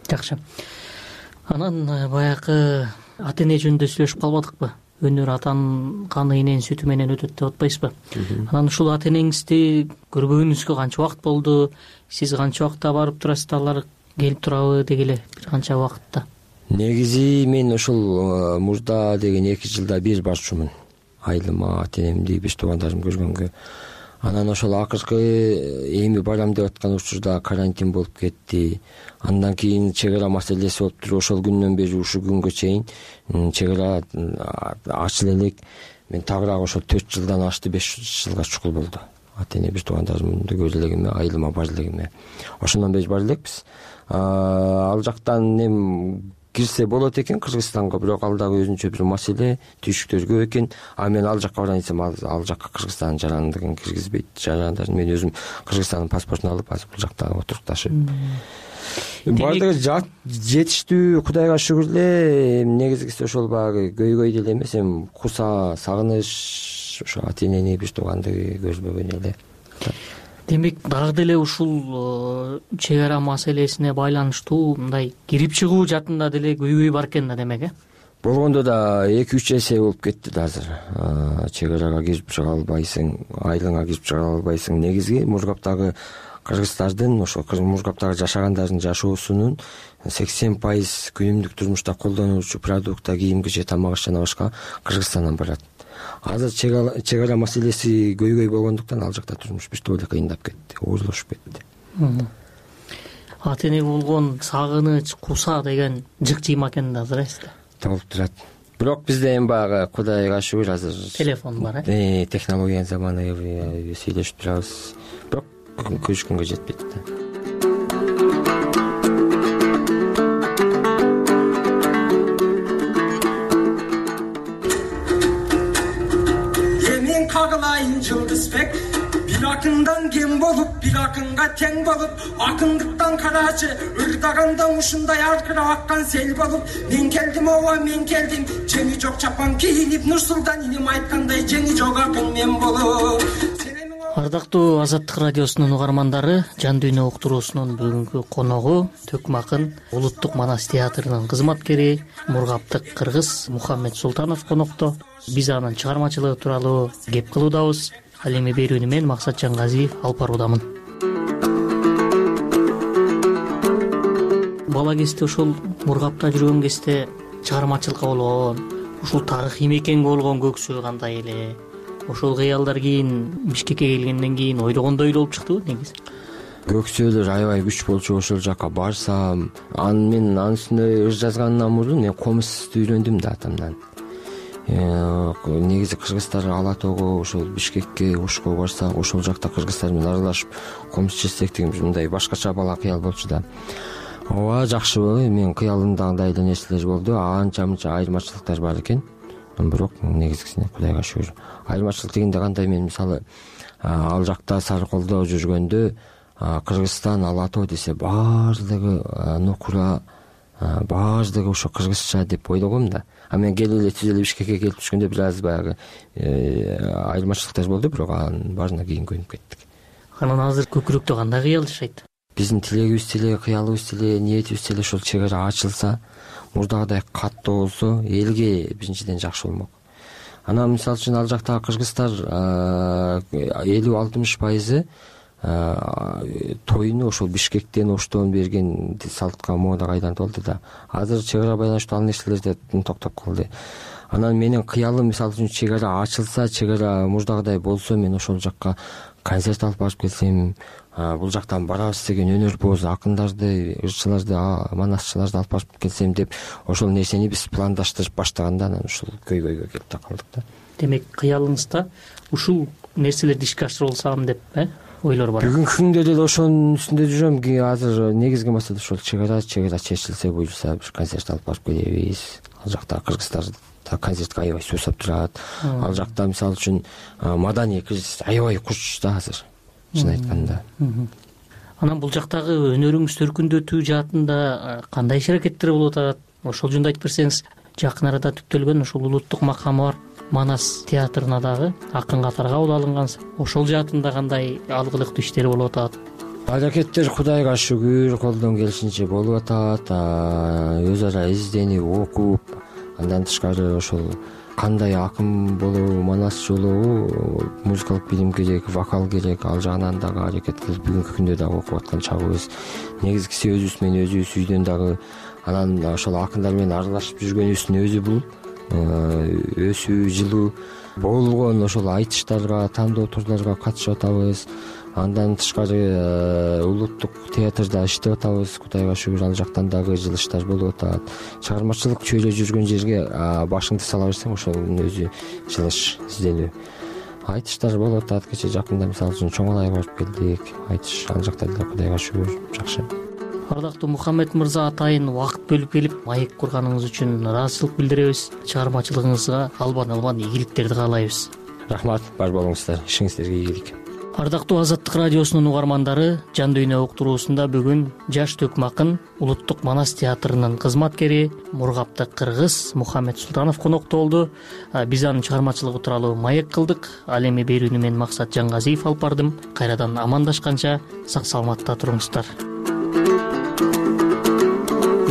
Жакшы. Анан баягы ата эне жөнүндө сүйлөшүп калбадыкпы? Өнөр атанын каны, эненин сүтү менен өтөт деп атпайсызбы? Анан ушул ата энеңизди көрбөгөнүңүзгө канча убакыт болду? Сиз канча убакытта барып турасыз, алар келип турабы деги эле бир канча убакытта? Негизи мен ошол мурда деген эки жылда бир барчумун. Айылыма, ата энемди, беш туугандарымды көргөнгө. Анан ошол акыркы эми барам деп аткан учурда карантин болуп кетти. Андан кийин чек ара маселеси болуп туруп, ошол күндөн бери ушул күнгө чейин чек ара ачыла элек. Мен тагыраак ошол төрт жылдан ашты, беш жылга чукул болду. Ата эне, бир туугандарымды көрө элегиме, айылыма бара элегиме. Ошондон бери бара элекпиз. Ал жактан эми кирсе болот экен Кыргызстанга, бирок ал дагы өзүнчө бир маселе, түйшүктөр көп экен. А мен ал жакка барайын десем, ал жакка Кыргызстандын жарандыгын киргизбейт. Жарандарын мен өзүм Кыргызстандын паспортун алып, азыр бул жакта отурукташып баардыгы жетиштүү, Кудайга шүгүр эле. Негизгиси ошол баягы көйгөй деле эмес, эми куса, сагыныч, ошо ата энени, биз тууганды көрбөгөн эле. Демек дагы деле ушул чек ара маселесине байланыштуу мындай кирип чыгуу жаатында деле көйгөй бар экен да, демек э? Болгондо да эки үч эсе болуп кетти да азыр. Чек арага кирип чыга албайсың, айылыңа кирип чыга албайсың. Негизги Мургаптагы кыргыздардын, ошо Мургаптагы жашагандардын жашоосунун сексен пайыз күнүмдүк турмушта колдонуучу продукта, кийимге же тамак аш жана башка Кыргызстандан барат. Азыр чек ара маселеси көйгөй болгондуктан ал жакта турмуш биртип эле кыйындап кетти, оорлошуп кетти. Ата энеге болгон сагыныч, куса деген жык жыйма экен да азыр эсте. Болуп турат. Бирок бизде эми баягы Кудайга шүгүр азыр телефон бар э. Технологиянын заманы, сүйлөшүп турабыз. Бирок көчкөнгө жетпейт да. Эмен кагылайын Жылдызбек, бир акындан кем болуп, бир акынга тең болуп, акындыктан карачы ырдаганда ушундай аркырап аккан сел болуп, мен келдим ооба мен келдим, жеңи жок чапан кийинип, Нурсултан иним айткандай жеңи жок акын мен болуп. Ардактуу Азаттык радиосунун угармандары, Жан дүйнө уктуруусунун бүгүнкү коногу Төкмө акын Улуттук Манас театрынын кызматкери, мургаптык кыргыз Мухаммед Султанов конокто. Биз анын чыгармачылыгы тууралуу кеп кылуудабыз. Ал эми берүүнү мен Максат Жангазиев алып баруудамын. Бала кезде ошол Мургапта жүргөн кезде чыгармачылыкка болгон, ушул тарыхый мекенге болгон көксү кандай эле? Ошол кыялдар кийин Бишкекке келгенден кийин ойлогондой эле болуп чыктыбы негизи? Көксөөлөр аябай күч болчу, ошол жака барсам, анын мен анын үстүнө ыр жазгандан мурун мен комузду үйрөндүм да атамдан. Негизи кыргыздар Ала тоого, ошол Бишкекке, Ошко барсак, ошол жакта кыргыздар менен аралашып комуз чечсек деген мындай башкача бала кыял болчу да. Ооба, жакшы болду. Мен кыялымда андай эле нерселер болду. Анча мынча айырмачылыктар бар экен. Бирок негизгисине Кудайга шүгүр. Айырмачылык дегенде кандай, мен мисалы ал жакта Сарыколдо жүргөндө Кыргызстан, Ала тоо десе баардыгы нукура, баардыгы ошо кыргызча деп ойлогом да. А мен келип эле түз эле Бишкекке келип түшкөндө бир аз баягы айырмачылыктар болду, бирок анын баарына кийин көнүп кеттик. Анан азыр көкүрөктө кандай кыял жашайт? Биздин тилегибиз деле, кыялыбыз деле, ниетибиз деле ошол чек ара ачылса, мурдагыдай каттуу болсо, элге биринчиден жакшы болмок. Анан мисалы үчүн ал жактагы кыргыздар элүү алтымыш пайызы тоюну ошол Бишкектен, Оштон берген салтка, модага айланып алды да. Азыр чек ара байланыштуу ал нерселерде токтоп калды. Анан менин кыялым мисалы үчүн чек ара ачылса, чек ара мурдагыдай болсо, мен ошол жакка концерт алып барып келсем, бул жактан барабыз деген өнөрпоз акындарды, ырчыларды, манасчыларды алып барып келсем деп ошол нерсени биз пландаштырып баштаганда анан ушул көйгөйгө келип такалдык да. Демек кыялыңызда ушул нерселерди ишке ашырып алсам деп э ойлор бар. Бүгүнкү күндө деле ошонун үстүндө жүрөм. Азыр негизги маселе ошол чек ара, чек ара чечилсе, буюрса бир концерт алып барып келебиз. Ал жакта кыргыздар концертке аябай суусап турат. Ал жакта мисалы үчүн маданий кризис аябай куч да азыр, чын айтканда. Анан бул жактагы өнөрүңүз төркүндөтүү жаатында кандай иш аракеттер болуп атат? Ошол жөнүндө айтып берсеңиз. Жакын арада түптөлгөн ушул улуттук макамы бар Манас театрына дагы акын катары кабыл алынгансыз. Ошол жаатында кандай алгылыктуу иштер болуп атат? Аракеттер Кудайга шүгүр колдон келишинче болуп атат. Өз ара изденип, окуп, андан тышкары ошол кандай акын болобу, манасчы болобу, музыкалык билим керек, вокал керек, ал жагынан дагы аракет кылып бүгүнкү күндө дагы окуп аткан чагыбыз. Негизгиси өзүбүз менен өзүбүз үйдөн дагы анан ошол акындар менен аралашып жүргөнүбүздүн өзү бул өсүү, жылуу болгон ошол айтыштарга, тандоо турларга катышып атабыз. Андан тышкары улуттук театрда иштеп атабыз. Кудайга шүгүр, ал жактан дагы жылыштар болуп атат. Чыгармачылык чөйрө жүргөн жерге башыңды сала берсең, ошонун өзү жылыш, изденүү. Айтыштар болуп атат. Кече жакында мисалы үчүн Чоңалайга барып келдик. Айтыш, ал жакта деле Кудайга шүгүр жакшы. Ардактуу Мухаммед мырза, атайын убакыт бөлүп келип маек курганыңыз үчүн ыраазычылык билдиребиз. Чыгармачылыгыңызга албан албан ийгиликтерди каалайбыз. Рахмат, бар болуңуздар, ишиңиздерге ийгилик. Ардактуу Азаттык радиосунун угармандары, Жан дүйнө уктуруусунда бүгүн жаш төкмө акын Улуттук Манас театрынын кызматкери мургаптык кыргыз Мухаммед Султанов конокто болду. Биз анын чыгармачылыгы тууралуу маек кылдык. Ал эми берүүнү мен Максат Жангазиев алып бардым. Кайрадан амандашканча сак саламатта туруңуздар.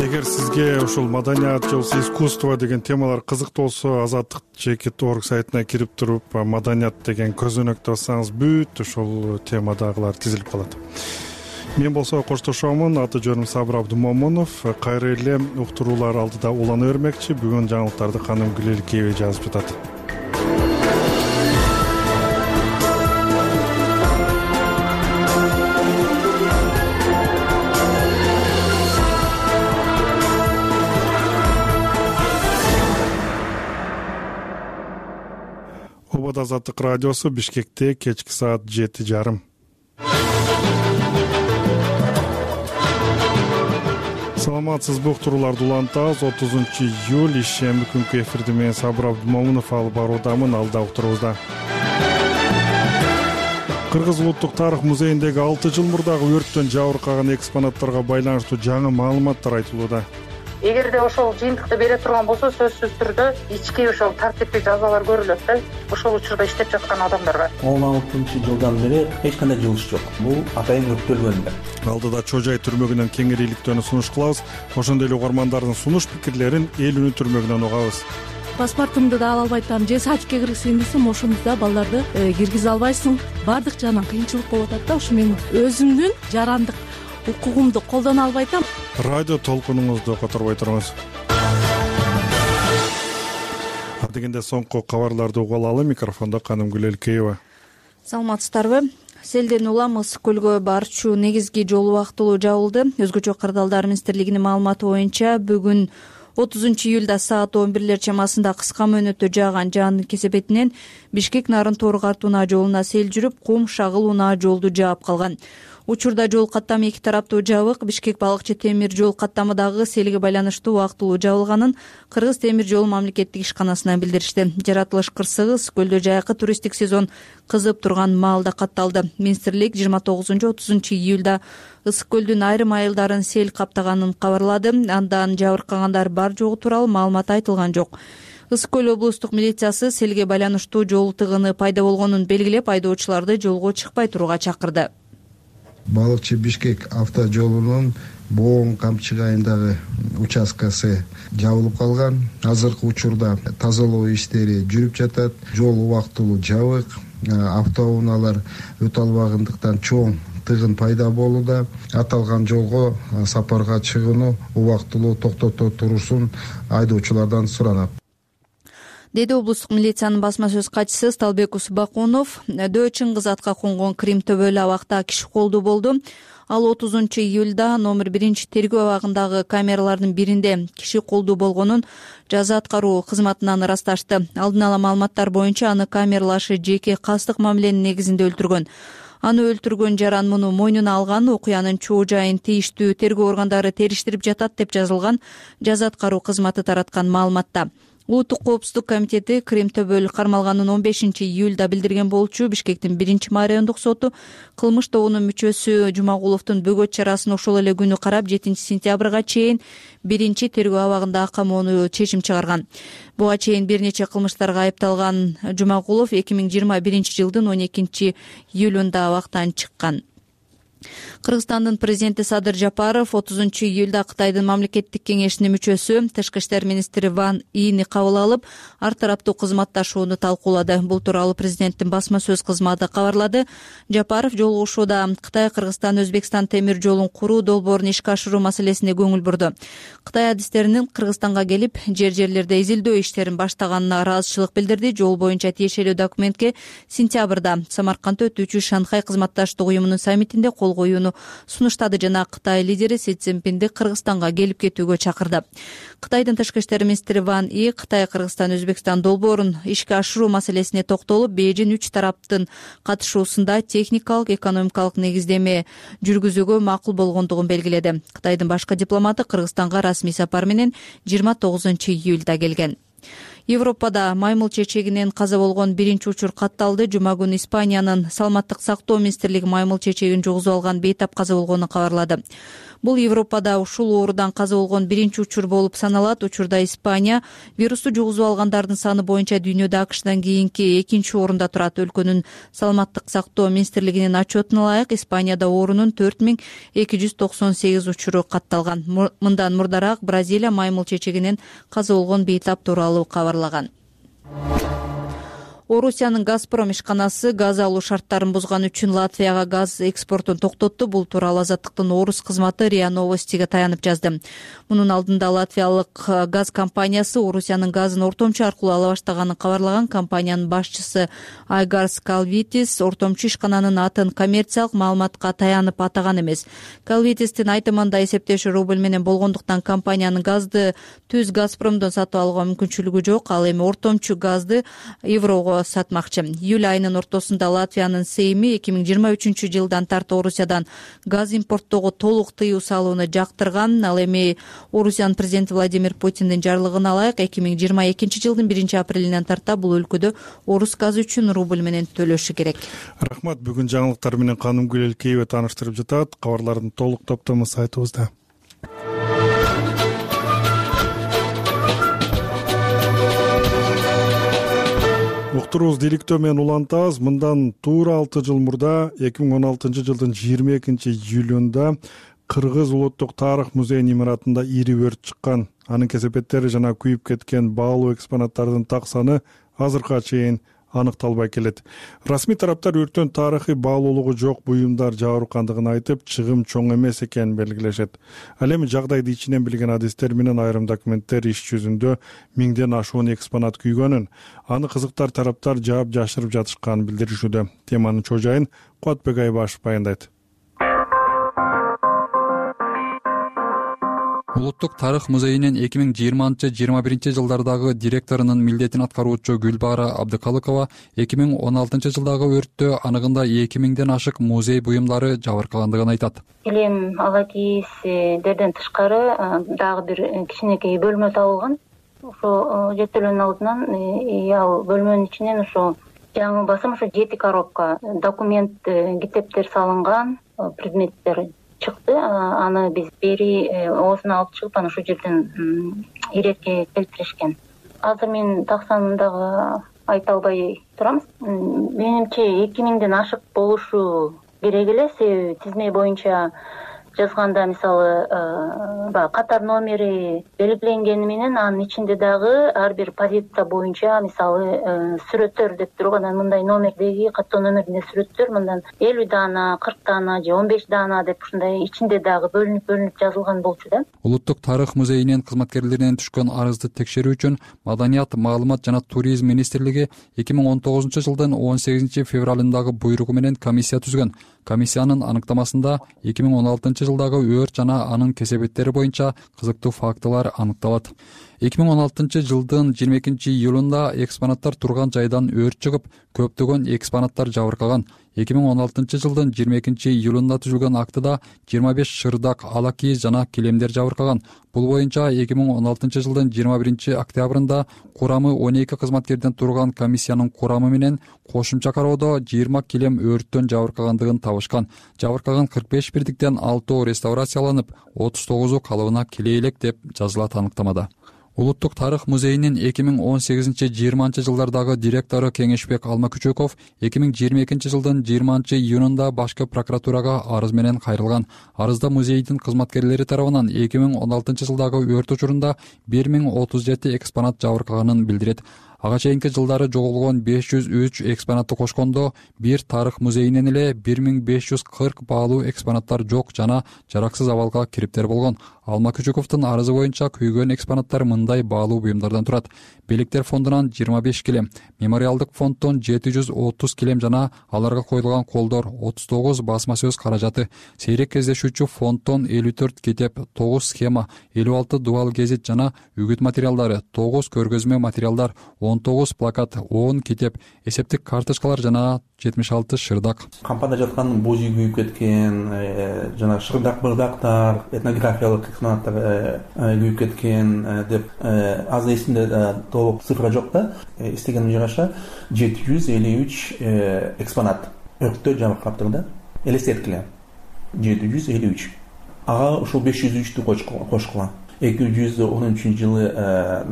Эгер сизге ушул маданият же болбосо искусство деген темалар кызыктуу болсо, Азаттык чекит орг сайтына кирип туруп маданият деген көзөнөктү бассаңыз бүт ушул темадагылар тизилип калат. Мен болсо коштошомун. Аты жөнүм Сабыр Абдумомунов. Кайра эле уктуруулар алдыда улана бермекчи. Бүгүн жаңылыктарды Каным Гүлелкеева жазып жатат. Обод Азаттык радиосу, Бишкекте кечки саат жети жарым. Саламатсызбы, уктурууларды улантабыз. отузунчу июль ишемби күнкү эфирди мен Сабыр Абдумомунов алып баруудамын. Алда уктуруубузда. Кыргыз улуттук тарых музейиндеги алты жыл мурдагы өрттөн жабыркаган экспонаттарга байланыштуу жаңы маалыматтар айтылууда. Эгерде ошол жыйынтыкты бере турган болсо, сөзсүз түрдө ички ошол тартиптүү жазалар көрүлөт да. Ошол учурда иштеп жаткан адамдарга. он алтынчы жылдан бери эч кандай жылыш жок. Бул атайын өрттөлгөн да. Алдыда Чожай түрмөгүнөн кеңирийликтөөнү сунуш кылабыз. Ошондой эле угармандардын сунуш пикирлерин эл үнү түрмөгүнөн угабыз. Паспортумду да ала албай атам. Же сачке киргизейин десем, ошондо балдарды киргизе албайсың. Баардык жагынан кыйынчылык болуп атат да. Ушу менин өзүмдүн жарандык укугумду колдоно албай атам. Радио толкунуңузду которбой туруңуз. Дегенде соңку кабарларды угуп алалы. Микрофондо Каным Гүлелкеева. Саламатсыздарбы? Селден Уламыз көлгө барчу негизги жол убактылуу жабылды. Өзгөчө кырдаалдар министрлигинин маалыматы боюнча бүгүн отузунчу июлда саат он бирлер чамасында кыска мөөнөттө жааган жаандын кесепетинен Бишкек Нарын Тору-Карт унаа жолуна сел жүрүп, Кум Шагыл унаа жолду жаап калган. Учурда жол каттамы эки тараптуу жабык. Бишкек Балыкчы темир жол каттамы дагы селге байланыштуу убактылуу жабылганын Кыргыз темир жол мамлекеттик ишканасынан билдиришти. Жаратылыш кырсыгыз көлдө жайкы туристтик сезон кызып турган маалда катталды. Министрлик жыйырма тогузунчу отузунчу июлда Ысык көлдүн айрым айылдарын сел каптаганын кабарлады. Андан жабыркагандар бар жогу тууралуу маалымат айтылган жок. Ысык көл облустук милициясы селге байланыштуу жол тыгыны пайда болгонун белгилеп, айдоочуларды жолго чыкпай турууга чакырды. Балыкчы Бишкек автожолунун Боон Камчык айылындагы участкасы жабылып калган. Азыркы учурда тазалоо иштери жүрүп жатат. Жол убактылуу жабык. Автоунаалар өтө албагандыктан чоң тыгын пайда болууда. Аталган жолго сапарга чыгууну убактылуу токтото турушун айдоочулардан суранат, деди облустук милициянын басма сөз катчысы Сталбек Усбакунов. Дөө Чыңгыз атка конгон Крим төбөлү абакта киши колду болду. Ал отузунчу июлда номер биринчи тергөө абагындагы камералардын биринде киши колду болгонун жаза аткаруу кызматынан ырасташты. Алдын ала маалыматтар боюнча аны камералашы жеке кастык мамиленин негизинде өлтүргөн. Аны өлтүргөн жаран муну мойнуна алган. Окуянын чоо жайын тийиштүү тергөө органдары териштирип жатат деп жазылган жаза аткаруу кызматы тараткан маалыматта. Улуттук коопсуздук комитети Крим төбөл кармалганын он бешинчи июлда билдирген болчу. Бишкектин биринчи райондук соту кылмыш тобунун мүчөсү Жумагуловдун бөгөт чарасын ошол эле күнү карап жетинчи сентябрга чейин биринчи тергөө абагында камоону чечим чыгарган. Буга чейин бир нече кылмыштарга айыпталган Жумагулов эки миң жыйырма биринчи жылдын он экинчи июлунда абактан чыккан. Кыргызстандын президенти Садыр Жапаров отузунчу июлда Кытайдын мамлекеттик кеңешинин мүчөсү Тышкы иштер министри Ван Ини кабыл алып, ар тараптуу кызматташууну талкуулады. Бул тууралуу президенттин басма сөз кызматы кабарлады. Жапаров жолугушууда Кытай, Кыргызстан, Өзбекстан темир жолун куруу долбоорун ишке ашыруу маселесине көңүл бурду. Кытай адистеринин Кыргызстанга келип, жер-жерлерде изилдөө иштерин баштаганына ыраазычылык билдирди. Жол боюнча тиешелүү документке сентябрда Самаркандда өтүүчү Шанхай кызматташтык уюмунун саммитинде кол коюуну сунуштады жана Кытай лидери Си Цзиньпинди Кыргызстанга келип кетүүгө чакырды. Кытайдын тышкы иштер министри Ван И Кытай, Кыргызстан, Өзбекстан долбоорун ишке ашыруу маселесине токтолуп, Бейжин үч тараптын катышуусунда техникалык, экономикалык негиздеме жүргүзүүгө макул болгондугун белгиледи. Кытайдын башкы дипломаты Кыргызстанга расмий сапар менен жыйырма тогузунчу июлда келген. Европада маймыл чечегинен каза болгон биринчи учур катталды. Жума күнү Испаниянын саламаттык сактоо министрлиги маймыл чечегин жугузуп алган бейтап каза болгонун кабарлады. Бул Европада ушул оорудан каза болгон биринчи учур болуп саналат. Учурда Испания вирусту жугузуп алгандардын саны боюнча дүйнөдө АКШдан кийинки экинчи орунда турат. Өлкөнүн саламаттык сактоо министрлигинин отчетуна ылайык Испанияда оорунун төрт миң эки жүз токсон сегиз учуру катталган. Мындан мурдараак Бразилия маймыл чечегинен каза болгон бейтап тууралуу кабарлаган. Орусиянын Газпром ишканасы газ алуу шарттарын бузган үчүн Латвияга газ экспортун токтотту. Бул тууралуу Азаттыктын орус кызматы РИА Новостиге таянып жазды. Мунун алдында латвиялык газ компаниясы Орусиянын газын ортомчу аркылуу ала баштаганын кабарлаган. Компаниянын башчысы Айгарс Калвитис ортомчу ишкананын атын коммерциялык маалыматка таянып атаган эмес. Калвитистин айтымында эсептеши рубль менен болгондуктан компаниянын газды түз Газпромдон сатып алууга мүмкүнчүлүгү жок. Ал эми ортомчу газды еврого сатмакчы. Июль айынын ортосунда Латвиянын Сейми эки миң жыйырма үчүнчү жылдан тарты Орусиядан газ импорттоого толук тыюу салууну жактырган. Ал эми Орусиянын президенти Владимир Путиндин жарлыгына ылайык эки миң жыйырма экинчи жылдын биринчи апрелинен тарта бул өлкөдө орус газы үчүн рубль менен төлөшү керек. Рахмат. Бүгүн жаңылыктар менен Канымгүл Элкеева тааныштырып жатат. Кабарлардын толук топтому сайтыбызда. Уктурубуз дийликтөө менен улантабыз. Мындан туура алты жыл мурда эки миң он алтынчы жылдын жыйырма экинчи июлунда Кыргыз улуттук тарых музейинин имаратында ири өрт чыккан. Анын кесепеттери жана күйүп кеткен баалуу экспонаттардын так саны азыркыга чейин аныкталбай келет. Расмий тараптар өрттөн тарыхый баалуулугу жок буюмдар жабыркандыгын айтып, чыгым чоң эмес экенин белгилешет. Ал эми жагдайды ичинен билген адистер менен айрым документтер иш жүзүндө миңден ашуун экспонат күйгөнүн, аны кызыктар тараптар жаап жашырып жатышканын билдиришүүдө. Теманын чожайын Куатбек Айбашев баяндайт. Улуттук тарых музейинин эки миң жыйырманчы жыйырма биринчи жылдардагы директорунун милдетин аткаруучу Гүлбара Абдыкалыкова эки миң он алтынчы жылдагы өрттө аныгында эки миңден ашык музей буюмдары жабыркагандыгын айтат. Элем ала кийиздерден тышкары дагы бир кичинекей бөлмө табылган. Ошо жеттелүүнүн алдынан ал бөлмөнүн ичинен ошо жаңы басым ошо жети коробка документ, китептер салынган предметтер чыкты. Аны биз бери оозуна алып чыгып, анан ошол жерден иретке келтиришкен. Азыр мен так санын дагы айта албай турам. Менимче эки миңден ашык болушу керек эле, себеби тизме боюнча жазганда мисалы баягы катар номери белгиленгени менен анын ичинде дагы ар бир позиция боюнча мисалы сүрөттөр деп турган, анан мындай номердеги каттоо номеринде сүрөттөр мындан элүү даана, кырк даана же он беш даана деп ушундай ичинде дагы бөлүнүп бөлүнүп жазылган болчу да. Улуттук тарых музейинин кызматкерлеринен түшкөн арызды текшерүү үчүн Маданият, маалымат жана туризм министрлиги эки миң он тогузунчу жылдын он сегизинчи февралындагы буйругу менен комиссия түзгөн. Комиссиянын аныктамасында эки миң он алтынчы жылдагы өрт жана анын кесепеттери боюнча кызыктуу фактылар аныкталат. эки миң он алтынчы жылдын жыйырма экинчи июлунда экспонаттар турган жайдан өрт чыгып, көптөгөн экспонаттар жабыркаган. эки миң он алтынчы жылдын жыйырма экинчи июлунда түзүлгөн актыда жыйырма беш шырдак, ала кийиз жана килемдер жабыркаган. Бул боюнча эки миң он алтынчы жылдын жыйырма биринчи октябрында курамы он эки кызматкерден турган комиссиянын курамы менен кошумча кароодо жыйырма килем өрттөн жабыркагандыгын табышкан. Жабыркаган кырк беш бирдиктен алтоо реставрацияланып, отуз тогузу калыбына келе элек деп жазылат аныктамада. Улуттук тарых музейинин эки миң он сегизинчи жыйырманчы жылдардагы директору Кеңешбек Алмакүчөков эки миң жыйырма экинчи жылдын жыйырманчы июнунда башкы прокуратурага арыз менен кайрылган. Арызда музейдин кызматкерлери тарабынан эки миң он алтынчы жылдагы өрт учурунда бир миң отуз жети экспонат жабыркаганын билдирет. Ага чейинки жылдары жоголгон беш жүз үч экспонатты кошкондо бир тарых музейинен эле бир миң беш жүз кырк баалуу экспонаттар жок жана жараксыз абалга кириптер болгон. Алмакүчөковдун арызы боюнча күйгөн экспонаттар мындай баалуу буюмдардан турат. Белектер фондунан жыйырма беш килем, мемориалдык фонддон жети жүз отуз килем жана аларга коюлган колдор, отуз тогуз басма сөз каражаты, сейрек кездешүүчү фонддон элүү төрт китеп, тогуз схема, элүү алты дубал гезит жана үгүт материалдары, тогуз көргөзмө материалдар, он тогуз плакат, он китеп, эсептик карточкалар жана жетимиш алты шырдак. Кампада жаткан боз үй күйүп кеткен, жана шырдак бырдактар, этнографиялык экспонаттар күйүп кеткен деп азыр эсимде толук цифра жок да. Эстегениме жараша жети жүз элүү үч экспонат өрттө жабыркаптыр да. Элестеткиле жети жүз элүү үч. Ага ушул беш жүз үчтү кошкула. эки жүз он үчүнчү жылы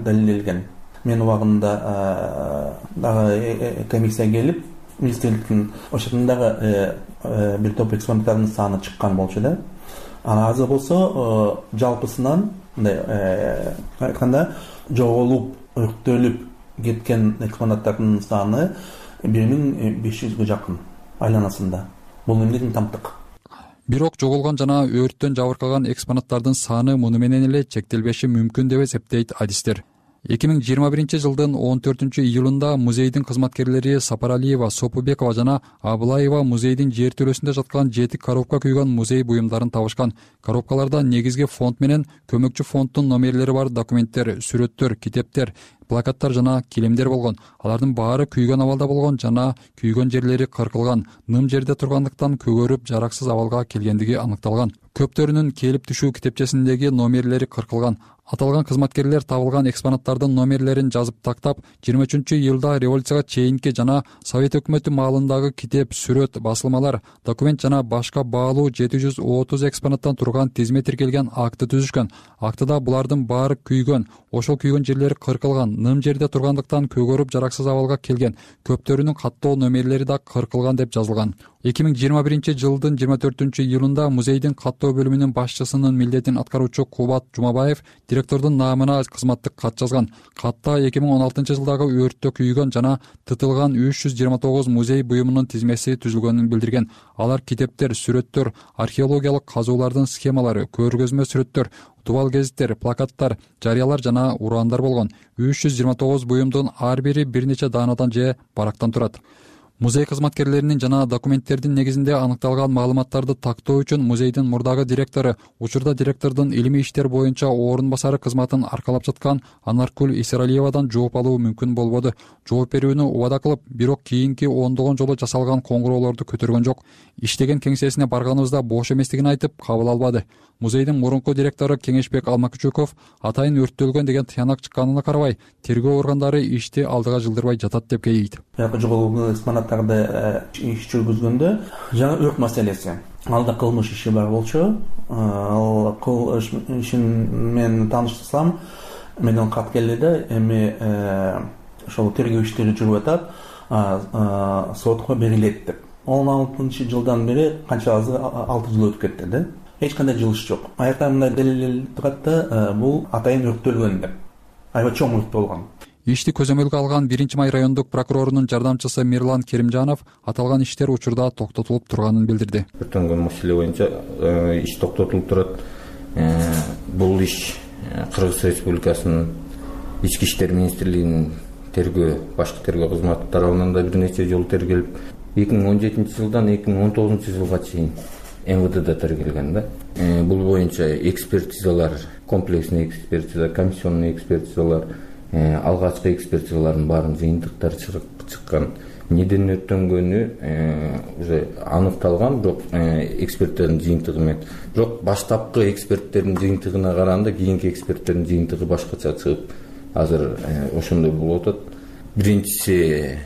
далилделген. Мен убагында дагы комиссия келип, министрликтин ошондон дагы бир топ экспонаттардын саны чыккан болчу да. Анан азыр болсо жалпысынан мындай айтканда жоголуп, өрттөлүп кеткен экспонаттардын саны бир миң беш жүзгө жакын айланасында. Бул эмнеден тамтык? Бирок жоголгон жана өрттөн жабыркаган экспонаттардын саны муну менен эле чектелбеши мүмкүн деп эсептейт адистер. эки миң жыйырма биринчи жылдын он төртүнчү июлунда музейдин кызматкерлери Сапаралиева, Сопубекова жана Абылаева музейдин жертөлөсүндө жаткан жети коробка күйгөн музей буюмдарын табышкан. Коробкаларда негизги фонд менен көмөкчү фонддун номерлери бар документтер, сүрөттөр, китептер, плакаттар жана килемдер болгон. Алардын баары күйгөн абалда болгон жана күйгөн жерлери кыркылган, ным жерде тургандыктан көгөрүп жараксыз абалга келгендиги аныкталган. Көптөрүнүн келип түшүү китепчесиндеги номерлери кыркылган. Аталган кызматкерлер табылган экспонаттардын номерлерин жазып тактап, жыйырма үчүнчү июлда революцияга чейинки жана Совет өкмөтү маалындагы китеп, сүрөт, басылмалар, документ жана башка баалуу жети жүз отуз экспонаттан турган тизме тиркелген акты түзүшкөн. Актыда булардын баары күйгөн, ошол күйгөн жерлери кыркылган, ным жерде тургандыктан көгөрүп жараксыз абалга келген, көптөрүнүн каттоо номерлери да кыркылган деп жазылган. эки миң жыйырма биринчи жылдын жыйырма төртүнчү июлунда музейдин каттоо бөлүмүнүн башчысынын милдетин аткаруучу Кубат Жумабаев директордун наамына кызматтык кат жазган. Катта эки миң он алтынчы жылдагы өрттө күйгөн жана тытылган үч жүз жыйырма тогуз музей буюмунун тизмеси түзүлгөнүн билдирген. Алар китептер, сүрөттөр, археологиялык казуулардын схемалары, көргөзмө сүрөттөр, тубал гезиттер, плакаттар, жарыялар жана ураандар болгон. үч жүз жыйырма тогуз буюмдун ар бири бир нече даанадан же барактан турат. Музей кызматкерлеринин жана документтердин негизинде аныкталган маалыматтарды тактоо үчүн музейдин мурдагы директору, учурда директордун илимий иштер боюнча орун басары кызматын аркалап жаткан Анаркүл Исералиевадан жооп алуу мүмкүн болбоду. Жооп берүүнү убада кылып, бирок кийинки ондогон жолу жасалган коңгуроолорду көтөргөн жок. Иштеген кеңсесине барганыбызда бош эместигин айтып, кабыл албады. Музейдин мурунку директору Кеңешбек Алмакүчөков атайын өрттөлгөн деген тыянак чыкканына карабай, тергөө органдары ишти алдыга жылдырбай жатат деп кейейт. Жоголгон экспонаттарды иш жүргүзгөндө жана өрт маселеси. Алда кылмыш иши бар болчу. Ал кылмыш ишин мен тааныштырсам, менден кат келди да, эми ошол тергөө иштери жүрүп атат, сотко берилет деп. он алтынчы жылдан бери канча азыр алты жыл өтүп кетти да. Эч кандай жылыш жок. Аякта мындай далилделип турат да, бул атайын өрттөлгөн деп. Аябай чоң өрт болгон. Ишти көзөмөлгө алган биринчи май райондук прокурорунун жардамчысы Мирлан Керимжанов аталган иштер учурда токтотулуп турганын билдирди. Өрттөнгөн маселе боюнча иш токтотулуп турат. Бул иш Кыргыз Республикасынын Ички иштер министрлигинин тергөө, башкы тергөө кызматы тарабынан да бир нече жолу тергелип, эки миң он жетинчи жылдан эки миң он тогузунчу жылга чейин эм вэ дэде тергелген да. Бул боюнча экспертизалар, комплексный экспертиза, комиссионный экспертизалар, алгачкы экспертизалардын баарын жыйынтыктары чыккан. Неден өрттөнгөнү уже аныкталган, бирок эксперттердин жыйынтыгы менен. Бирок баштапкы эксперттердин жыйынтыгына караганда кийинки эксперттердин жыйынтыгы башкача чыгып, азыр ошондой болуп атат. Биринчиси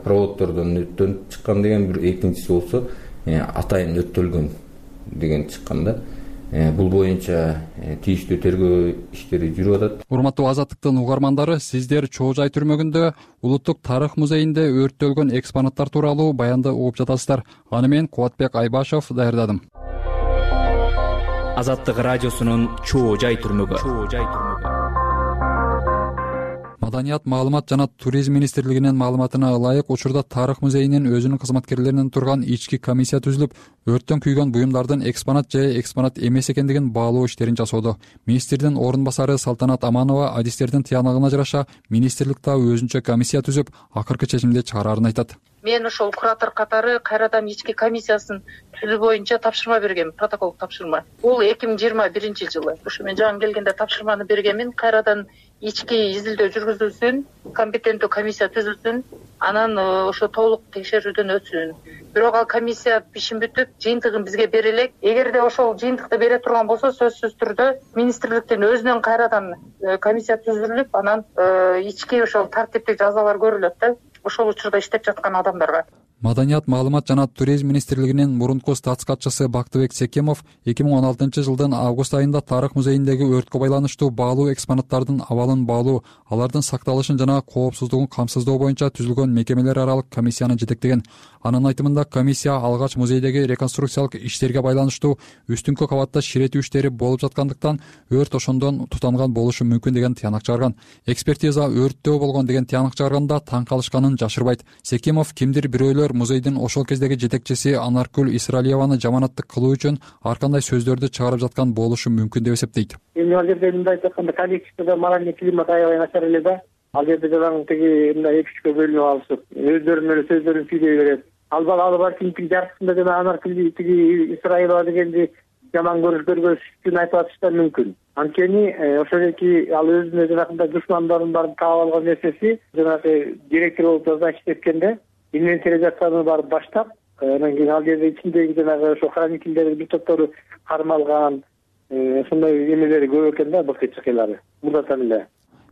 проводдордон өрттөнүп чыккан деген, бир экинчиси болсо атайын өрттөлгөн деген чыккан да. Бул боюнча тийиштүү тергөө иштери жүрүп атат. Урматтуу Азаттыктын угармандары, сиздер Чоо Жай түрмөгүндө Улуттук тарых музейинде өрттөлгөн экспонаттар тууралуу баянды угуп жатасыздар. Аны мен Кубатбек Айбашев даярдадым. Азаттык радиосунун Чоо Жай түрмөгү. Маданият, маалымат жана туризм министрлигинин маалыматына ылайык, учурда тарых музейинин өзүнүн кызматкерлеринен турган ички комиссия түзүлүп, өрттөн күйгөн буюмдардын экспонат же экспонат эмес экендигин баалоо иштерин жасоодо. Министрдин орун басары Салтанат Аманова адистердин тыянагына жараша министрликте өзүнчө комиссия түзүп, акыркы чечимди чыгарарын айтат. Мен ошол куратор катары кайрадан ички комиссиясын түзүү боюнча тапшырма бергем, протокол тапшырма. Бул эки миң жыйырма биринчи жылы. Ушу мен жаңы келгенде тапшырманы бергенмин, кайрадан ички изилдөө жүргүзүлсүн, компетенттүү комиссия түзүлсүн, анан ошо толук текшерүүдөн өтсүн. Бирок ал комиссия ишин бүтүп, жыйынтыгын бизге бере элек. Эгерде ошол жыйынтыкты бере турган болсо, сөзсүз түрдө министрликтин өзүнөн кайрадан комиссия түзүлүп, анан ички ошол тартиптик жазалар көрүлөт да, ошол учурда иштеп жаткан адамдарга. Маданият, маалымат жана туризм министрлигинин мурунку статс катчысы Бактыбек Секемов эки миң он алтынчы жылдын август айында Тарых музейиндеги өрткө байланыштуу баалуу экспонаттардын абалын баалуу, алардын сакталышын жана коопсуздугун камсыздоо боюнча түзүлгөн мекемелер аралык комиссияны жетектеген. Анын айтымында комиссия алгач музейдеги реконструкциялык иштерге байланыштуу үстүңкү кабатта ширетүү иштери болуп жаткандыктан өрт ошондон тутанган болушу мүмкүн деген тыянак чыгарган. Экспертиза өрттөө болгон деген тыянак чыгарганда таң калышканын жашырбайт. Секемов кимдир бирөөлөр музейдин ошол кездеги жетекчиси Анаркүл Исраилованы жаманаттык кылуу үчүн ар кандай сөздөрдү чыгарып жаткан болушу мүмкүн деп эсептейт. Эми ал жерде мындай айтканда коллективде моральный климат аябай начар эле да. Ал жерде жалаң тиги мындай эки үчкө бөлүнүп алышып, өздөрү менен сөздөрүн сүйлөй берет. Ал бала ал барчын тиги жартысында жана Анаркүл тиги Исраилова дегенди жаман көрүш көргөз үчүн айтып атыштар мүмкүн. Анткени ошол эки ал өзүнө жанагындай душмандарын барып таап алган нерсеси жанагы директор болуп жаза иштеткенде инвентаризацияны барып баштап, анан кийин ал жерде ичиндеги жанагы ошо хранительдердин бир топтору кармалган, ошондой эмелери көп экен да, былкы чыкыйлары. Мурдатан эле.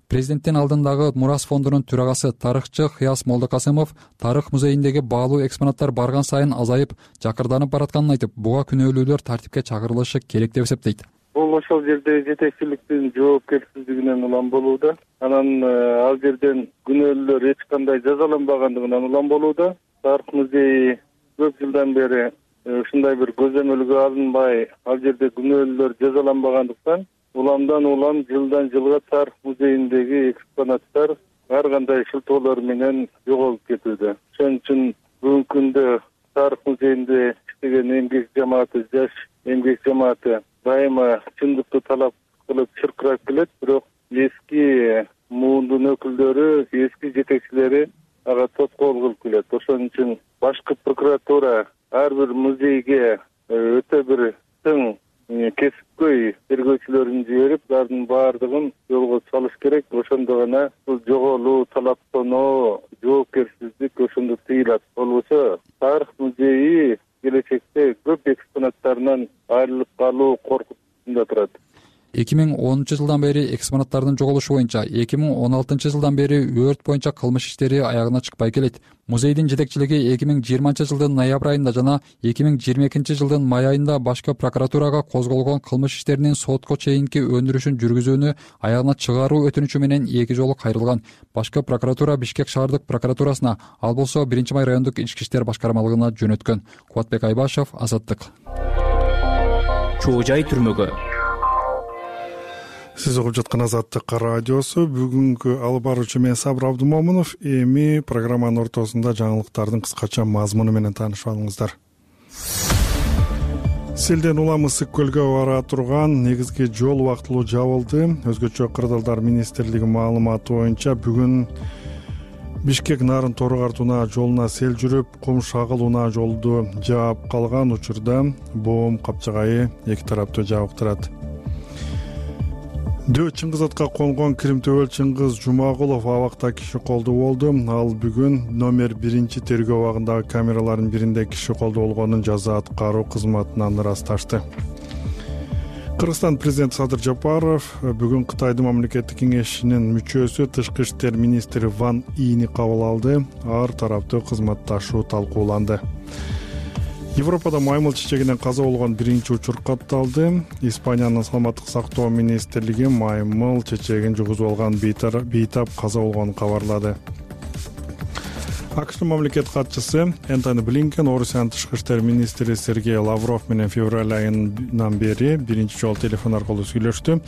Президенттин алдындагы Мурас фондунун төрагасы тарыхчы Кыяс Молдокасымов Тарых музейиндеги баалуу экспонаттар барган сайын азайып, жакырданып баратканын айтып, буга күнөөлүүлөр тартипке чакырылышы керек деп эсептейт. Бул ошол жерде жетекчиликтин жоопкерсиздигинен улам болууда. Анан ал жерден күнөөлүүлөр эч кандай жазаланбагандыгынан улам болууда. Тарых музейи көп жылдан бери ушундай бир көзөмөлгө алынбай, ал жерде күнөөлүүлөр жазаланбагандыктан уламдан улам жылдан жылга Тарых музейиндеги экспонаттар ар кандай шылтоолор менен жоголуп кетүүдө. Ошон үчүн бүгүнкү күндө Тарых музейинде иштеген эмгек жамааты, жаш эмгек жамааты дайыма чындыкты талап кылып чыркырап келет, бирок эски муундун өкүлдөрү, эски жетекчилери ага тоскоол кылып келет. Ошон үчүн башкы прокуратура ар бир музейге өтө бир тың кесипкөй тергөөчүлөрүн жиберип, алардын баардыгын жолго салыш керек. Ошондо гана бул жоголуу, талаптануу, жоопкерсиздик ошондо тыйылат. Болбосо Тарых музейи келечекте көп экспонаттарынан айрылып калуу коркунучунда турат. эки миң онунчу жылдан бери экспонаттардын жоголушу боюнча, эки миң он алтынчы жылдан бери өрт боюнча кылмыш иштери аягына чыкпай келет. Музейдин жетекчилиги эки миң жыйырманчы жылдын ноябрь айында жана эки миң жыйырма экинчи жылдын май айында башкы прокуратурага козголгон кылмыш иштеринин сотко чейинки өндүрүшүн жүргүзүүнү аягына чыгаруу өтүнүчү менен эки жолу кайрылган. Башкы прокуратура Бишкек шаардык прокуратурасына, ал болсо биринчи май райондук ички иштер башкармалыгына жөнөткөн. Кубатбек Айбашев, Азаттык. Чоо жай түрмөгө. Сиз угуп жаткан Азаттык радиосу. Бүгүнкү алып баруучу мен Сабыр Абдумомунов. Эми программанын ортосунда жаңылыктардын кыскача мазмуну менен таанышып алыңыздар. Селден улам Ысык көлгө бара турган негизги жол убактылуу жабылды. Өзгөчө Кырдаалдар министрлиги маалыматы боюнча бүгүн Бишкек Нарын Торогар Тунаа жолуна сел жүрүп, Кум Шагыл Унаа жолду жаап калган учурда боом капчыгайы эки тараптуу жабыктырат. Дөө Чыңгыз атка конгон Кирим-Төбөл Чыңгыз Жумагулов абакта киши колдуу болду. Ал бүгүн номер биринчи тергөө абагындагы камералардын биринде киши колдуу болгонун жаза аткаруу кызматынан ырасташты. Кыргызстан президенти Садыр Жапаров бүгүн Кытайдын мамлекеттик кеңешинин мүчөсү Тышкы иштер министри Ван Ини кабыл алды. Ар тараптуу кызматташуу талкууланды. Европада маймыл чечегинен каза болгон биринчи учур катталды. Испаниянын саламаттык сактоо министрлиги маймыл чечегин жугузуп алган бейтап каза болгонун кабарлады. АКШтын мамлекет катчысы Энтони Блинкен Орусиянын тышкы иштер министри Сергей Лавров менен февраль айынан бери биринчи жолу телефон аркылуу сүйлөштү.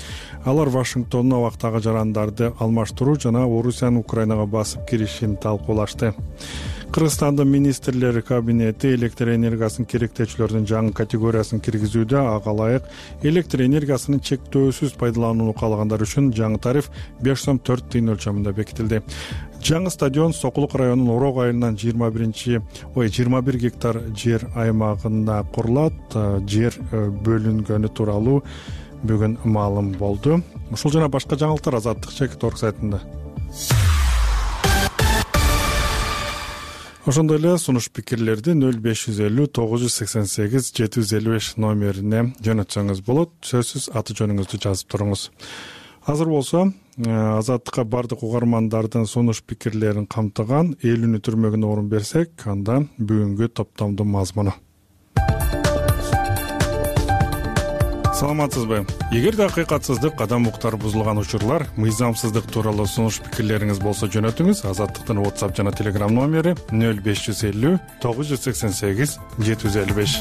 Алар Вашингтондун абактагы жарандарды алмаштыруу жана Орусиянын Украинага басып киришин талкуулашты. Кыргызстандын министрлер кабинети электр энергиясын керектөөчүлөрдүн жаңы категориясын киргизүүдө, ага ылайык электр энергиясынын чектөөсүз пайдаланууну каалагандар үчүн жаңы тариф беш сом төрт тыйын өлчөмүндө бекитилди. Жаңы стадион Сокулук районунун Орок айылынан жыйырма биринчи ой жыйырма бир гектар жер аймагында курулат. Жер бөлүнгөнү тууралуу бүгүн маалым болду. Ушул жана башка жаңылыктар Азаттык чекит орг сайтында. Ошондой эле сунуш пикирлерди нөл беш жүз элүү тогуз жүз сексен сегиз жети жүз элүү беш номерине жөнөтсөңүз болот. Сөзсүз аты жөнүңүздү жазып туруңуз. Азыр болсо Азаттыкка бардык угармандардын сунуш пикирлерин камтыган элүүнү түрмөгүнө орун берсек, анда бүгүнкү топтомдун мазмуну. Саламатсызбы? Эгерде акыйкатсыздык, адам укуктары бузулган учурлар, мыйзамсыздык тууралуу сунуш пикирлериңиз болсо жөнөтүңүз. Азаттыктын WhatsApp жана Telegram номери нөл беш жүз элүү тогуз жүз сексен сегиз жети жүз элүү беш.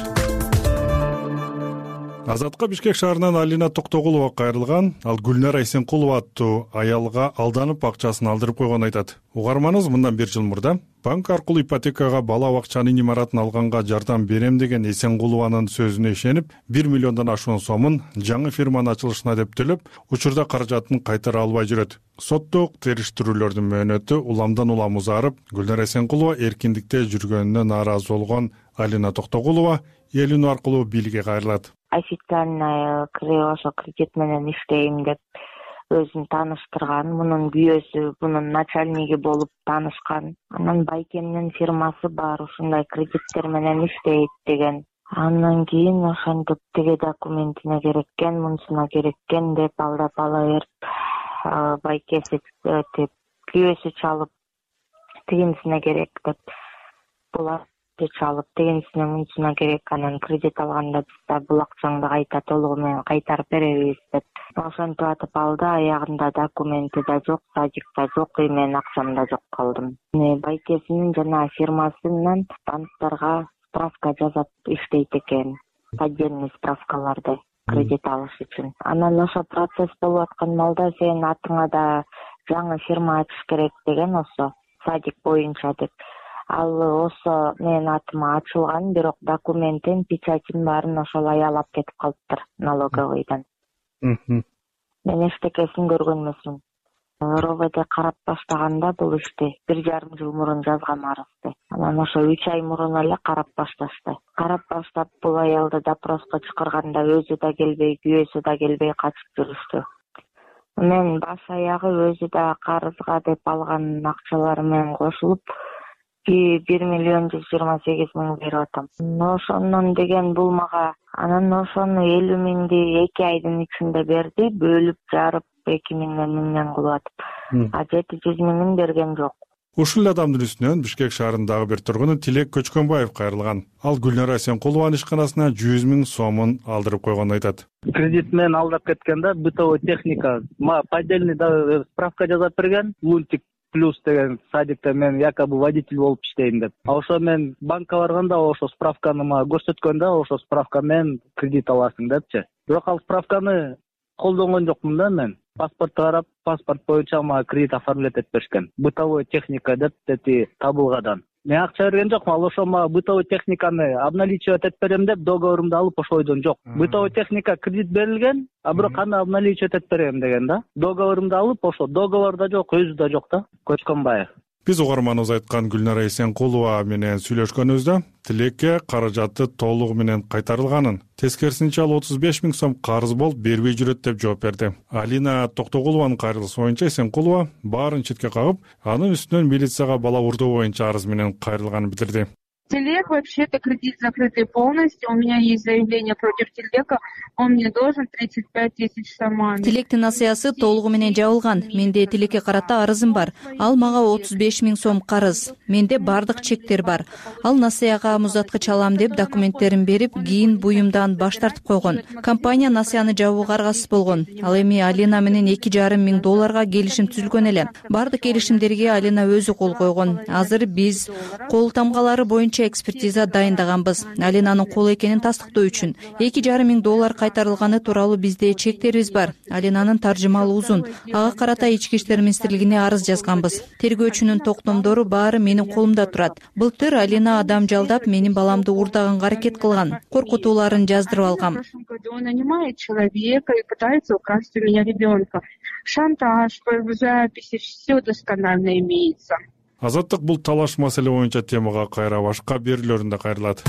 Азатка Бишкек шаарынан Алина Токтогулова кайрылган. Ал Гүлнара Эсенкулова аттуу аялга алданып акчасын алдырып койгонун айтат. Угарманыбыз мындан бир жыл мурда банк аркылуу ипотекага бала бакчанын имаратын алганга жардам берем деген Эсенкулованын сөзүнө ишенип, бир миллиондон ашуун сомун жаңы фирманын ачылышына деп төлөп, учурда каражатын кайтара албай жүрөт. Соттук териштирүүлөрдүн мөөнөтү уламдан улам узарып, Гүлнара Эсенкулова эркиндикте жүргөнүнө нааразы болгон Алина Токтогулова элүүнү аркылуу бийликке кайрылат. Официально ошо кредит менен иштейм деп өзүн тааныштырган. Мунун күйөөсү, мунун начальниги болуп таанышкан. Анан байкемдин фирмасы бар, ушундай кредиттер менен иштейт деген. Андан кийин ошентип тиги документине кереккен, мунусуна кереккен деп алдап ала берип, байкеси деп күйөөсү чалып, тигинсине керек деп булар чалып, тегинсине мунусуна керек, анан кредит алганда биз да бул акчаңды кайта толугу менен кайтарып беребиз деп ошентип атып алды. Аягында документи да жок, садик да жок, и мен акчам да жок калдым. Байкесинин жана фирмасынан банктарга справка жазап иштейт экен, поддельный справкаларды кредит алыш үчүн. Анан ошо процесс болуп аткан маалда сен атыңа да жаңы фирма ачыш керек деген, ошо садик боюнча деп. Ал осо менин атыма ачылган, бирок документин, печатин баарын ошол аял алып кетип калыптыр налоговыйдан. Мен эчтекесин көргөн эмесмин. РОВД карап баштаганда бул ишти бир жарым жыл мурун жазган арызды. Анан ошо үч ай мурун эле карап башташты. Карап баштап бул аялды допроско чакырганда өзү да келбей, күйөөсү да келбей качып жүрүштү. Мен баш аягы өзү да карызга деп алган акчалары менен кошулуп бир миллион жүз жыйырма сегиз миң берип атам. Ошондон деген бул мага анан ошону элүү миңди эки айдын ичинде берди, бөлүп жарып эки миңден миңден кылып атып. А жети жүз миңин берген жок. Ушул эле адамдын үстүнөн Бишкек шаарындагы бир тургуну Тилек Көчкөнбаев кайрылган. Ал Гүлнара Эсенкулованын ишканасына жүз миң сомун алдырып койгонун айтат. Кредит менен алдап кеткен да, бытовой техника, поддельный справка жазап берген, лунтик плюс деген садикте мен якобы водитель болуп иштейм деп. А ошо мен банкка барганда ошо справканы мага көрсөткөн да, ошо справка менен кредит аласың депчи. Бирок ал справканы колдонгон жокмун да мен. Паспортто карап, паспорт боюнча мага кредит оформлять этип беришкен. Бытовой техника деп дети табылгадан. Мен акча берген жокмун, ал ошо мага бытовой техниканы обналичивать этип берем деп договорумду алып ошойдон жок. Бытовой техника кредит берилген, а бирок аны обналичивать этип берем деген да. Договорумду алып ошо договорда жок, өзү да жок да. Көчкөнбаев. Биз угарманыбыз айткан Гүлнара Эсенкулова менен сүйлөшкөнүбүздө Тилекке каражаты толугу менен кайтарылганын, тескерисинче ал отуз беш миң сом карыз болуп бербей жүрөт деп жооп берди. Алина Токтогулованын кайрылышы боюнча Эсенкулова баарын четке кагып, анын үстүнөн милицияга бала урдоо боюнча арыз менен кайрылганын билдирди. Телек вообще-то кредит закрытый полностью. У меня есть заявление против Телека. Он мне должен тридцать пять тысяч сомами. Тилектин насыясы толугу менен жабылган. Менде Тилекке карата арызым бар. Ал мага отуз беш миң сом карыз. Менде бардык чектер бар. Ал насыяга муздаткыч алам деп документтерин берип, кийин буюмдан баш тартып койгон. Компания насыяны жабууга аргасыз болгон. Ал эми Алина менен эки жарым миң долларга келишим түзүлгөн эле. Бардык келишимдерге Алина өзү кол койгон. Азыр биз кол тамгалары боюнча экспертиза дайындаганбыз. Алинанын кол экенин тастыктоо үчүн эки жарым миң доллар кайтарылганы тууралуу бизде чектерибиз бар. Алинанын таржымалы узун. Ага карата Ички иштер министрлигине арыз жазганбыз. Тергөөчүнүн токтомдору баары менин колумда турат. Былтыр Алина адам жалдап менин баламды уурдаганга аракет кылган. Коркутууларын жаздырып алгам. Он нанимает человека и пытается украсть у меня ребенка. Шантаж, записи, все досконально имеется. Азаттык бул талаш маселе боюнча темага кайра башка берүүлөрүндө кайрылат.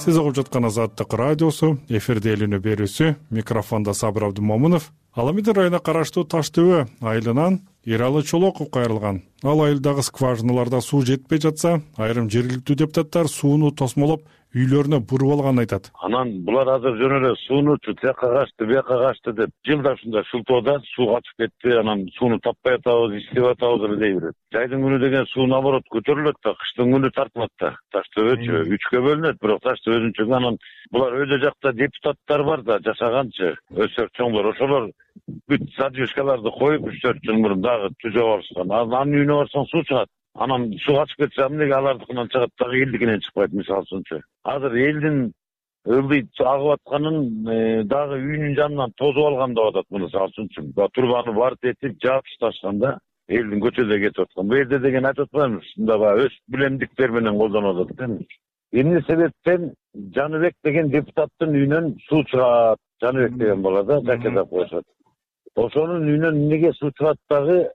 сиз угуп жаткан Азаттык радиосу, эфирде эл үнү берүүсү, микрофондо Сабыр Абдымомунов. Аламидин районуна караштуу Таш ТВ айылынан Эралы Чолоков кайрылган. Ал айылдагы скважиналарда суу жетпей жатса, айрым жергиликтүү депутаттар сууну тосмолоп үйлөрүнө буруп алганын айтат. Анан булар азыр жөн эле сууну тияка качты, бияка качты деп жылда ушундай шултоодо суу качып кетти, анан сууну таппай атабыз, иштеп атабыз эле дей берет. Жайдын күнү деген суу наоборот көтөрүлөт да, кыштын күнү тартылат да. Таш ТВчү үчкө бөлүнөт, бирок Таш ТВ өзүнчө анан булар өйдө жакта депутаттар бар да, жашаганчы, өсөр чоңдор, ошолор бүт задвижкаларды коюп үч төрт жыл мурун дагы түзөп алышкан. Анын үйүнө барсаң суу чыгат. Анан суу качып кетсе, эмнеге алардыкынан чыгат дагы элдикинен чыкпайт мисалы үчүнчү. Азыр элдин ылдый агып атканын дагы үйүнүн жанынан тозуп алган деп атат мисалы үчүнчү. Турбаны бар тетип жаап ташташканда элдин көчөдө кетип аткан. Бу жерде деген айтып атпаймыз, мында баягы өз билемдиктер менен колдонуп атат да. Эмне себептен Жаныбек деген депутаттын үйүнөн суу чыгат? Жаныбек деген бала да жакедап коюшат. Ошонун үйүнөн эмнеге суу чыгат дагы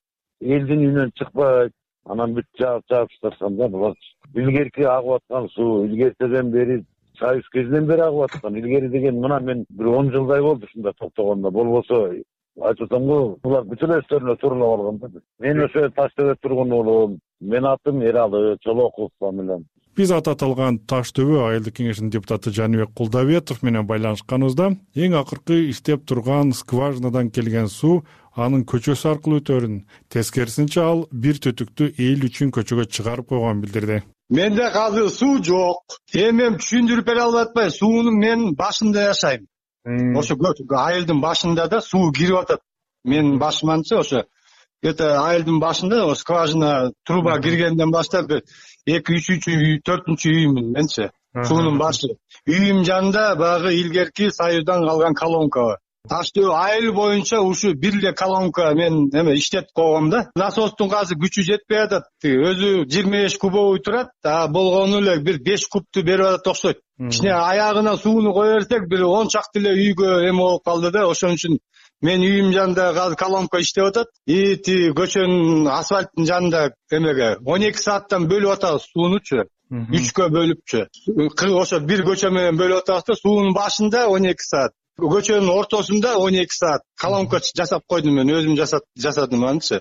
элдин үйүнөн чыкпайт? Анан бүт жаап жаап ташташканда булар илгерки агып аткан суу, илгертеден бери Союз кезинен бери агып аткан. Илгери деген мына мен бир он жылдай болду ушунда токтогондо. Болбосо айтып атам го, булар бүт эле өздөрүнө тууралап алган да. Мен ошо Таш ТВ тургун уулум. Менин атым Эралы Чолоков фамилиям. Биз аты аталган Таш ТВ айылдык кеңешинин депутаты Жаныбек Кулдабетов менен байланышканыбызда эң акыркы иштеп турган скважинадан келген суу анын көчөсү аркылуу өтөрүн, тескерисинче ал бир түтүктү эл үчүн көчөгө чыгарып койгонун билдирди. Менде азыр суу жок. Эми мен түшүндүрүп бере албай атпайм. Суунун мен башында жашайм. Ошо айылдын башында да суу кирип атат. Менин башыманчы ошо это айылдын башында скважина труба киргенден баштап эки үчүнчү төртүнчү үйүмүн менчи. Суунун башы. Үйүм жанында баягы илгерки Союздан калган колонка бар. Таш ТВ айыл боюнча ушу бир эле колонка мен эме иштетип койгом да. Насостун азыр күчү жетпей атат. Өзү жыйырма беш кубовый турат, а болгону эле бир беш кубту берип атат окшойт. Кичине аягына сууну кое берсек бир он чакты эле үйгө эме болуп калды да. Ошон үчүн мен үйүм жанында азыр колонка иштеп атат. И ти көчөнүн асфальттын жанында эмеге он эки сааттан бөлүп атабыз суунучу. үчкө бөлүпчү. Ошо бир көчө менен бөлүп атабыз да, суунун башында он эки саат. Көчөнүн ортосунда он эки саат колонка жасап койдум мен, өзүм жасадым анычы.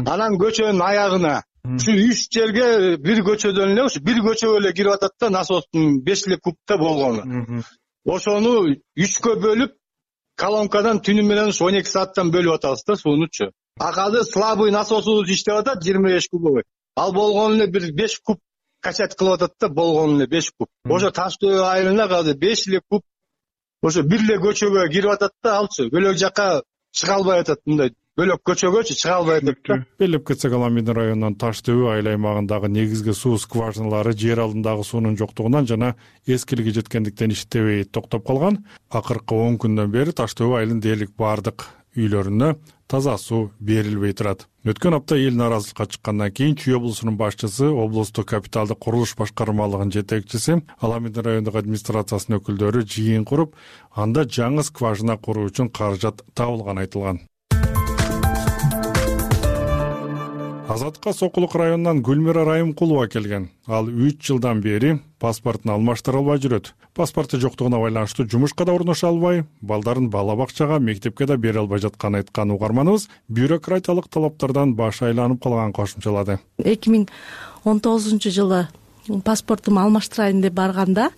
Анан көчөнүн аягына ушу үч жерге бир көчөдөн эле, ушу бир көчөгө эле кирип атат да, насостун беш эле кубта болгону. Ошону үчкө бөлүп колонкадан түнү менен ушу он эки сааттан бөлүп атабыз да суунучу. А азыр слабый насосубуз иштеп атат жыйырма беш кубовый. Ал болгону эле бир беш куб качать кылып атат да, болгону эле беш куб. Ошо Таш ТВ айылына азыр беш эле куб ошо бир эле көчөгө кирип атат да, алчы бөлөк жака чыга албай атат, мындай бөлөк көчөгөчү чыга албай атат да. Белип кетсек, Аламидин районунун Таш ТВ айыл аймагындагы негизги суу скважиналары жер алдындагы суунун жоктугунан жана эскилиги жеткендиктен иштебей токтоп калган. Акыркы он күндөн бери Таш ТВ айылынын дээрлик бардык үйлөрүнө таза суу берилбей турат. Өткөн апта эл нааразылыкка чыккандан кийин Чүй облусунун башчысы, облустук капиталдык курулуш башкармалыгынын жетекчиси, Аламидин райондук администрациясынын өкүлдөрү жыйын куруп, анда жаңы скважина куруу үчүн каражат табылганы айтылган. Азаттыкка Сокулук районунан Гүлмира Райымкулова келген. Ал үч жылдан бери паспортун алмаштыра албай жүрөт. Паспорту жоктугуна байланыштуу жумушка да орношо албай, балдарын бала бакчага, мектепке да бере албай жатканын айткан угарманыбыз бюрократиялык талаптардан башы айланып калган кошумчалады. эки миң он тогузунчу жылы паспортумду алмаштырайын деп барганда,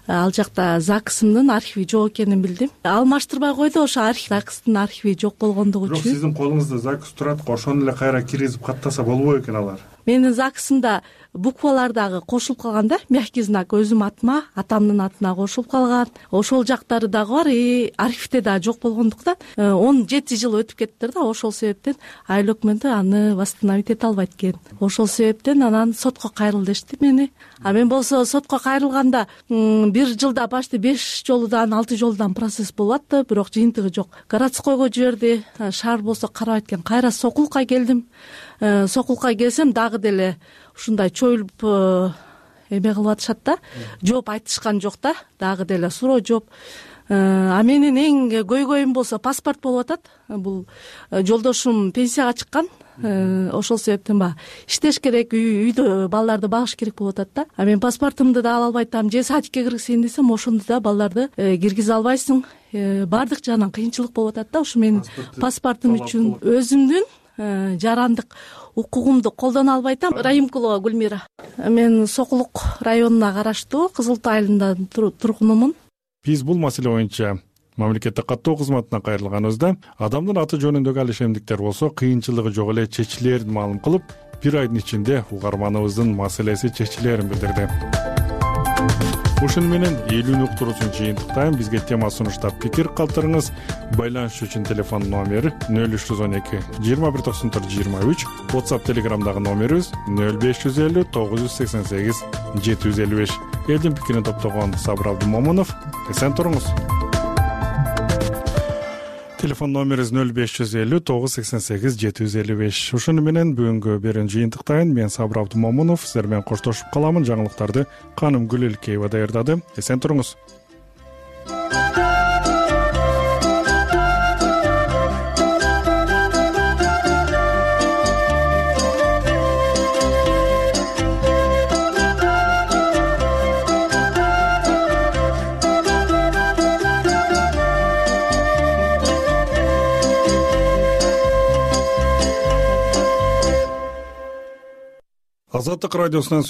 ал жакта ЗАГСымдын архиви жок экенин билдим. Алмаштырбай койду, ошо архив ЗАГСтын архиви жок болгондугу үчүн. Бирок сиздин колуңузда ЗАГС турат, ошону эле кайра киргизип каттаса болбой экен алар. Менин ЗАГСымда буквалар дагы кошулуп калган да, мягкий знак өзүм атыма, атамдын атына кошулуп калган. Ошол жактары дагы бар, и архивде дагы жок болгондуктан он жети жыл өтүп кеттир да, ошол себептен айыл өкмөтү аны восстановить эте албайт экен. Ошол себептен анан сотко кайрыл дешти мени. А мен болсо сотко кайрылганда бир жылда почти беш жолудан алты жолудан процесс болуп атты, бирок жыйынтыгы жок. Городскойго жиберди, шаар болсо карабайт экен. Кайра Сокулукка келдим. Сокулукка келсем дагы деле ушундай чоюлуп эме кылып атышат да, жооп айтышкан жок да, дагы деле суроо жооп. А менин эң көйгөйүм болсо паспорт болуп атат. Бул жолдошум пенсияга чыккан, ошол себептен баягы иштеш керек, үйдө балдарды багыш керек болуп атат да. А мен паспортумду да ала албай атам, же садикке киргизейин десем ошондо да балдарды киргизе албайсың. Баардык жагынан кыйынчылык болуп атат да. Ушу менин паспортум үчүн өзүмдүн жарандык укугумду колдоно албай атам. Раимкулова Гүлмира. Мен Сокулук районуна караштуу Кызыл Тоо айылында тургунумун. Биз бул маселе боюнча мамлекеттик каттоо кызматына кайрылганыбызда адамдын аты жөнүндөгү ал ишемдиктер болсо кыйынчылыгы жок эле чечилерин маалым кылып, бир айдын ичинде угарманыбыздын маселеси чечилерин билдирди. Ушуну менен элүүнү уктуруусун жыйынтыктайм. Бизге тема сунуштап пикир калтырыңыз. Байланыш үчүн телефон номери нөл үч жүз он эки жыйырма бир токсон төрт жыйырма үч, WhatsApp Telegramдагы номерибиз нөл беш жүз элүү тогуз жүз сексен сегиз жети жүз элүү беш. Элдин пикирин топтогон Сабыр Абдумомунов. Эсен туруңуз. Телефон номерибиз нөл беш жүз элүү тогуз жүз сексен сегиз жети жүз элүү беш. Ушуну менен бүгүнкү берүүнү жыйынтыктайын. Мен Сабыр Абдумомунов сиздер менен коштошуп каламын. Жаңылыктарды Каным Гүлэлкеева даярдады. Эсен туруңуз. Азаттык радиосунан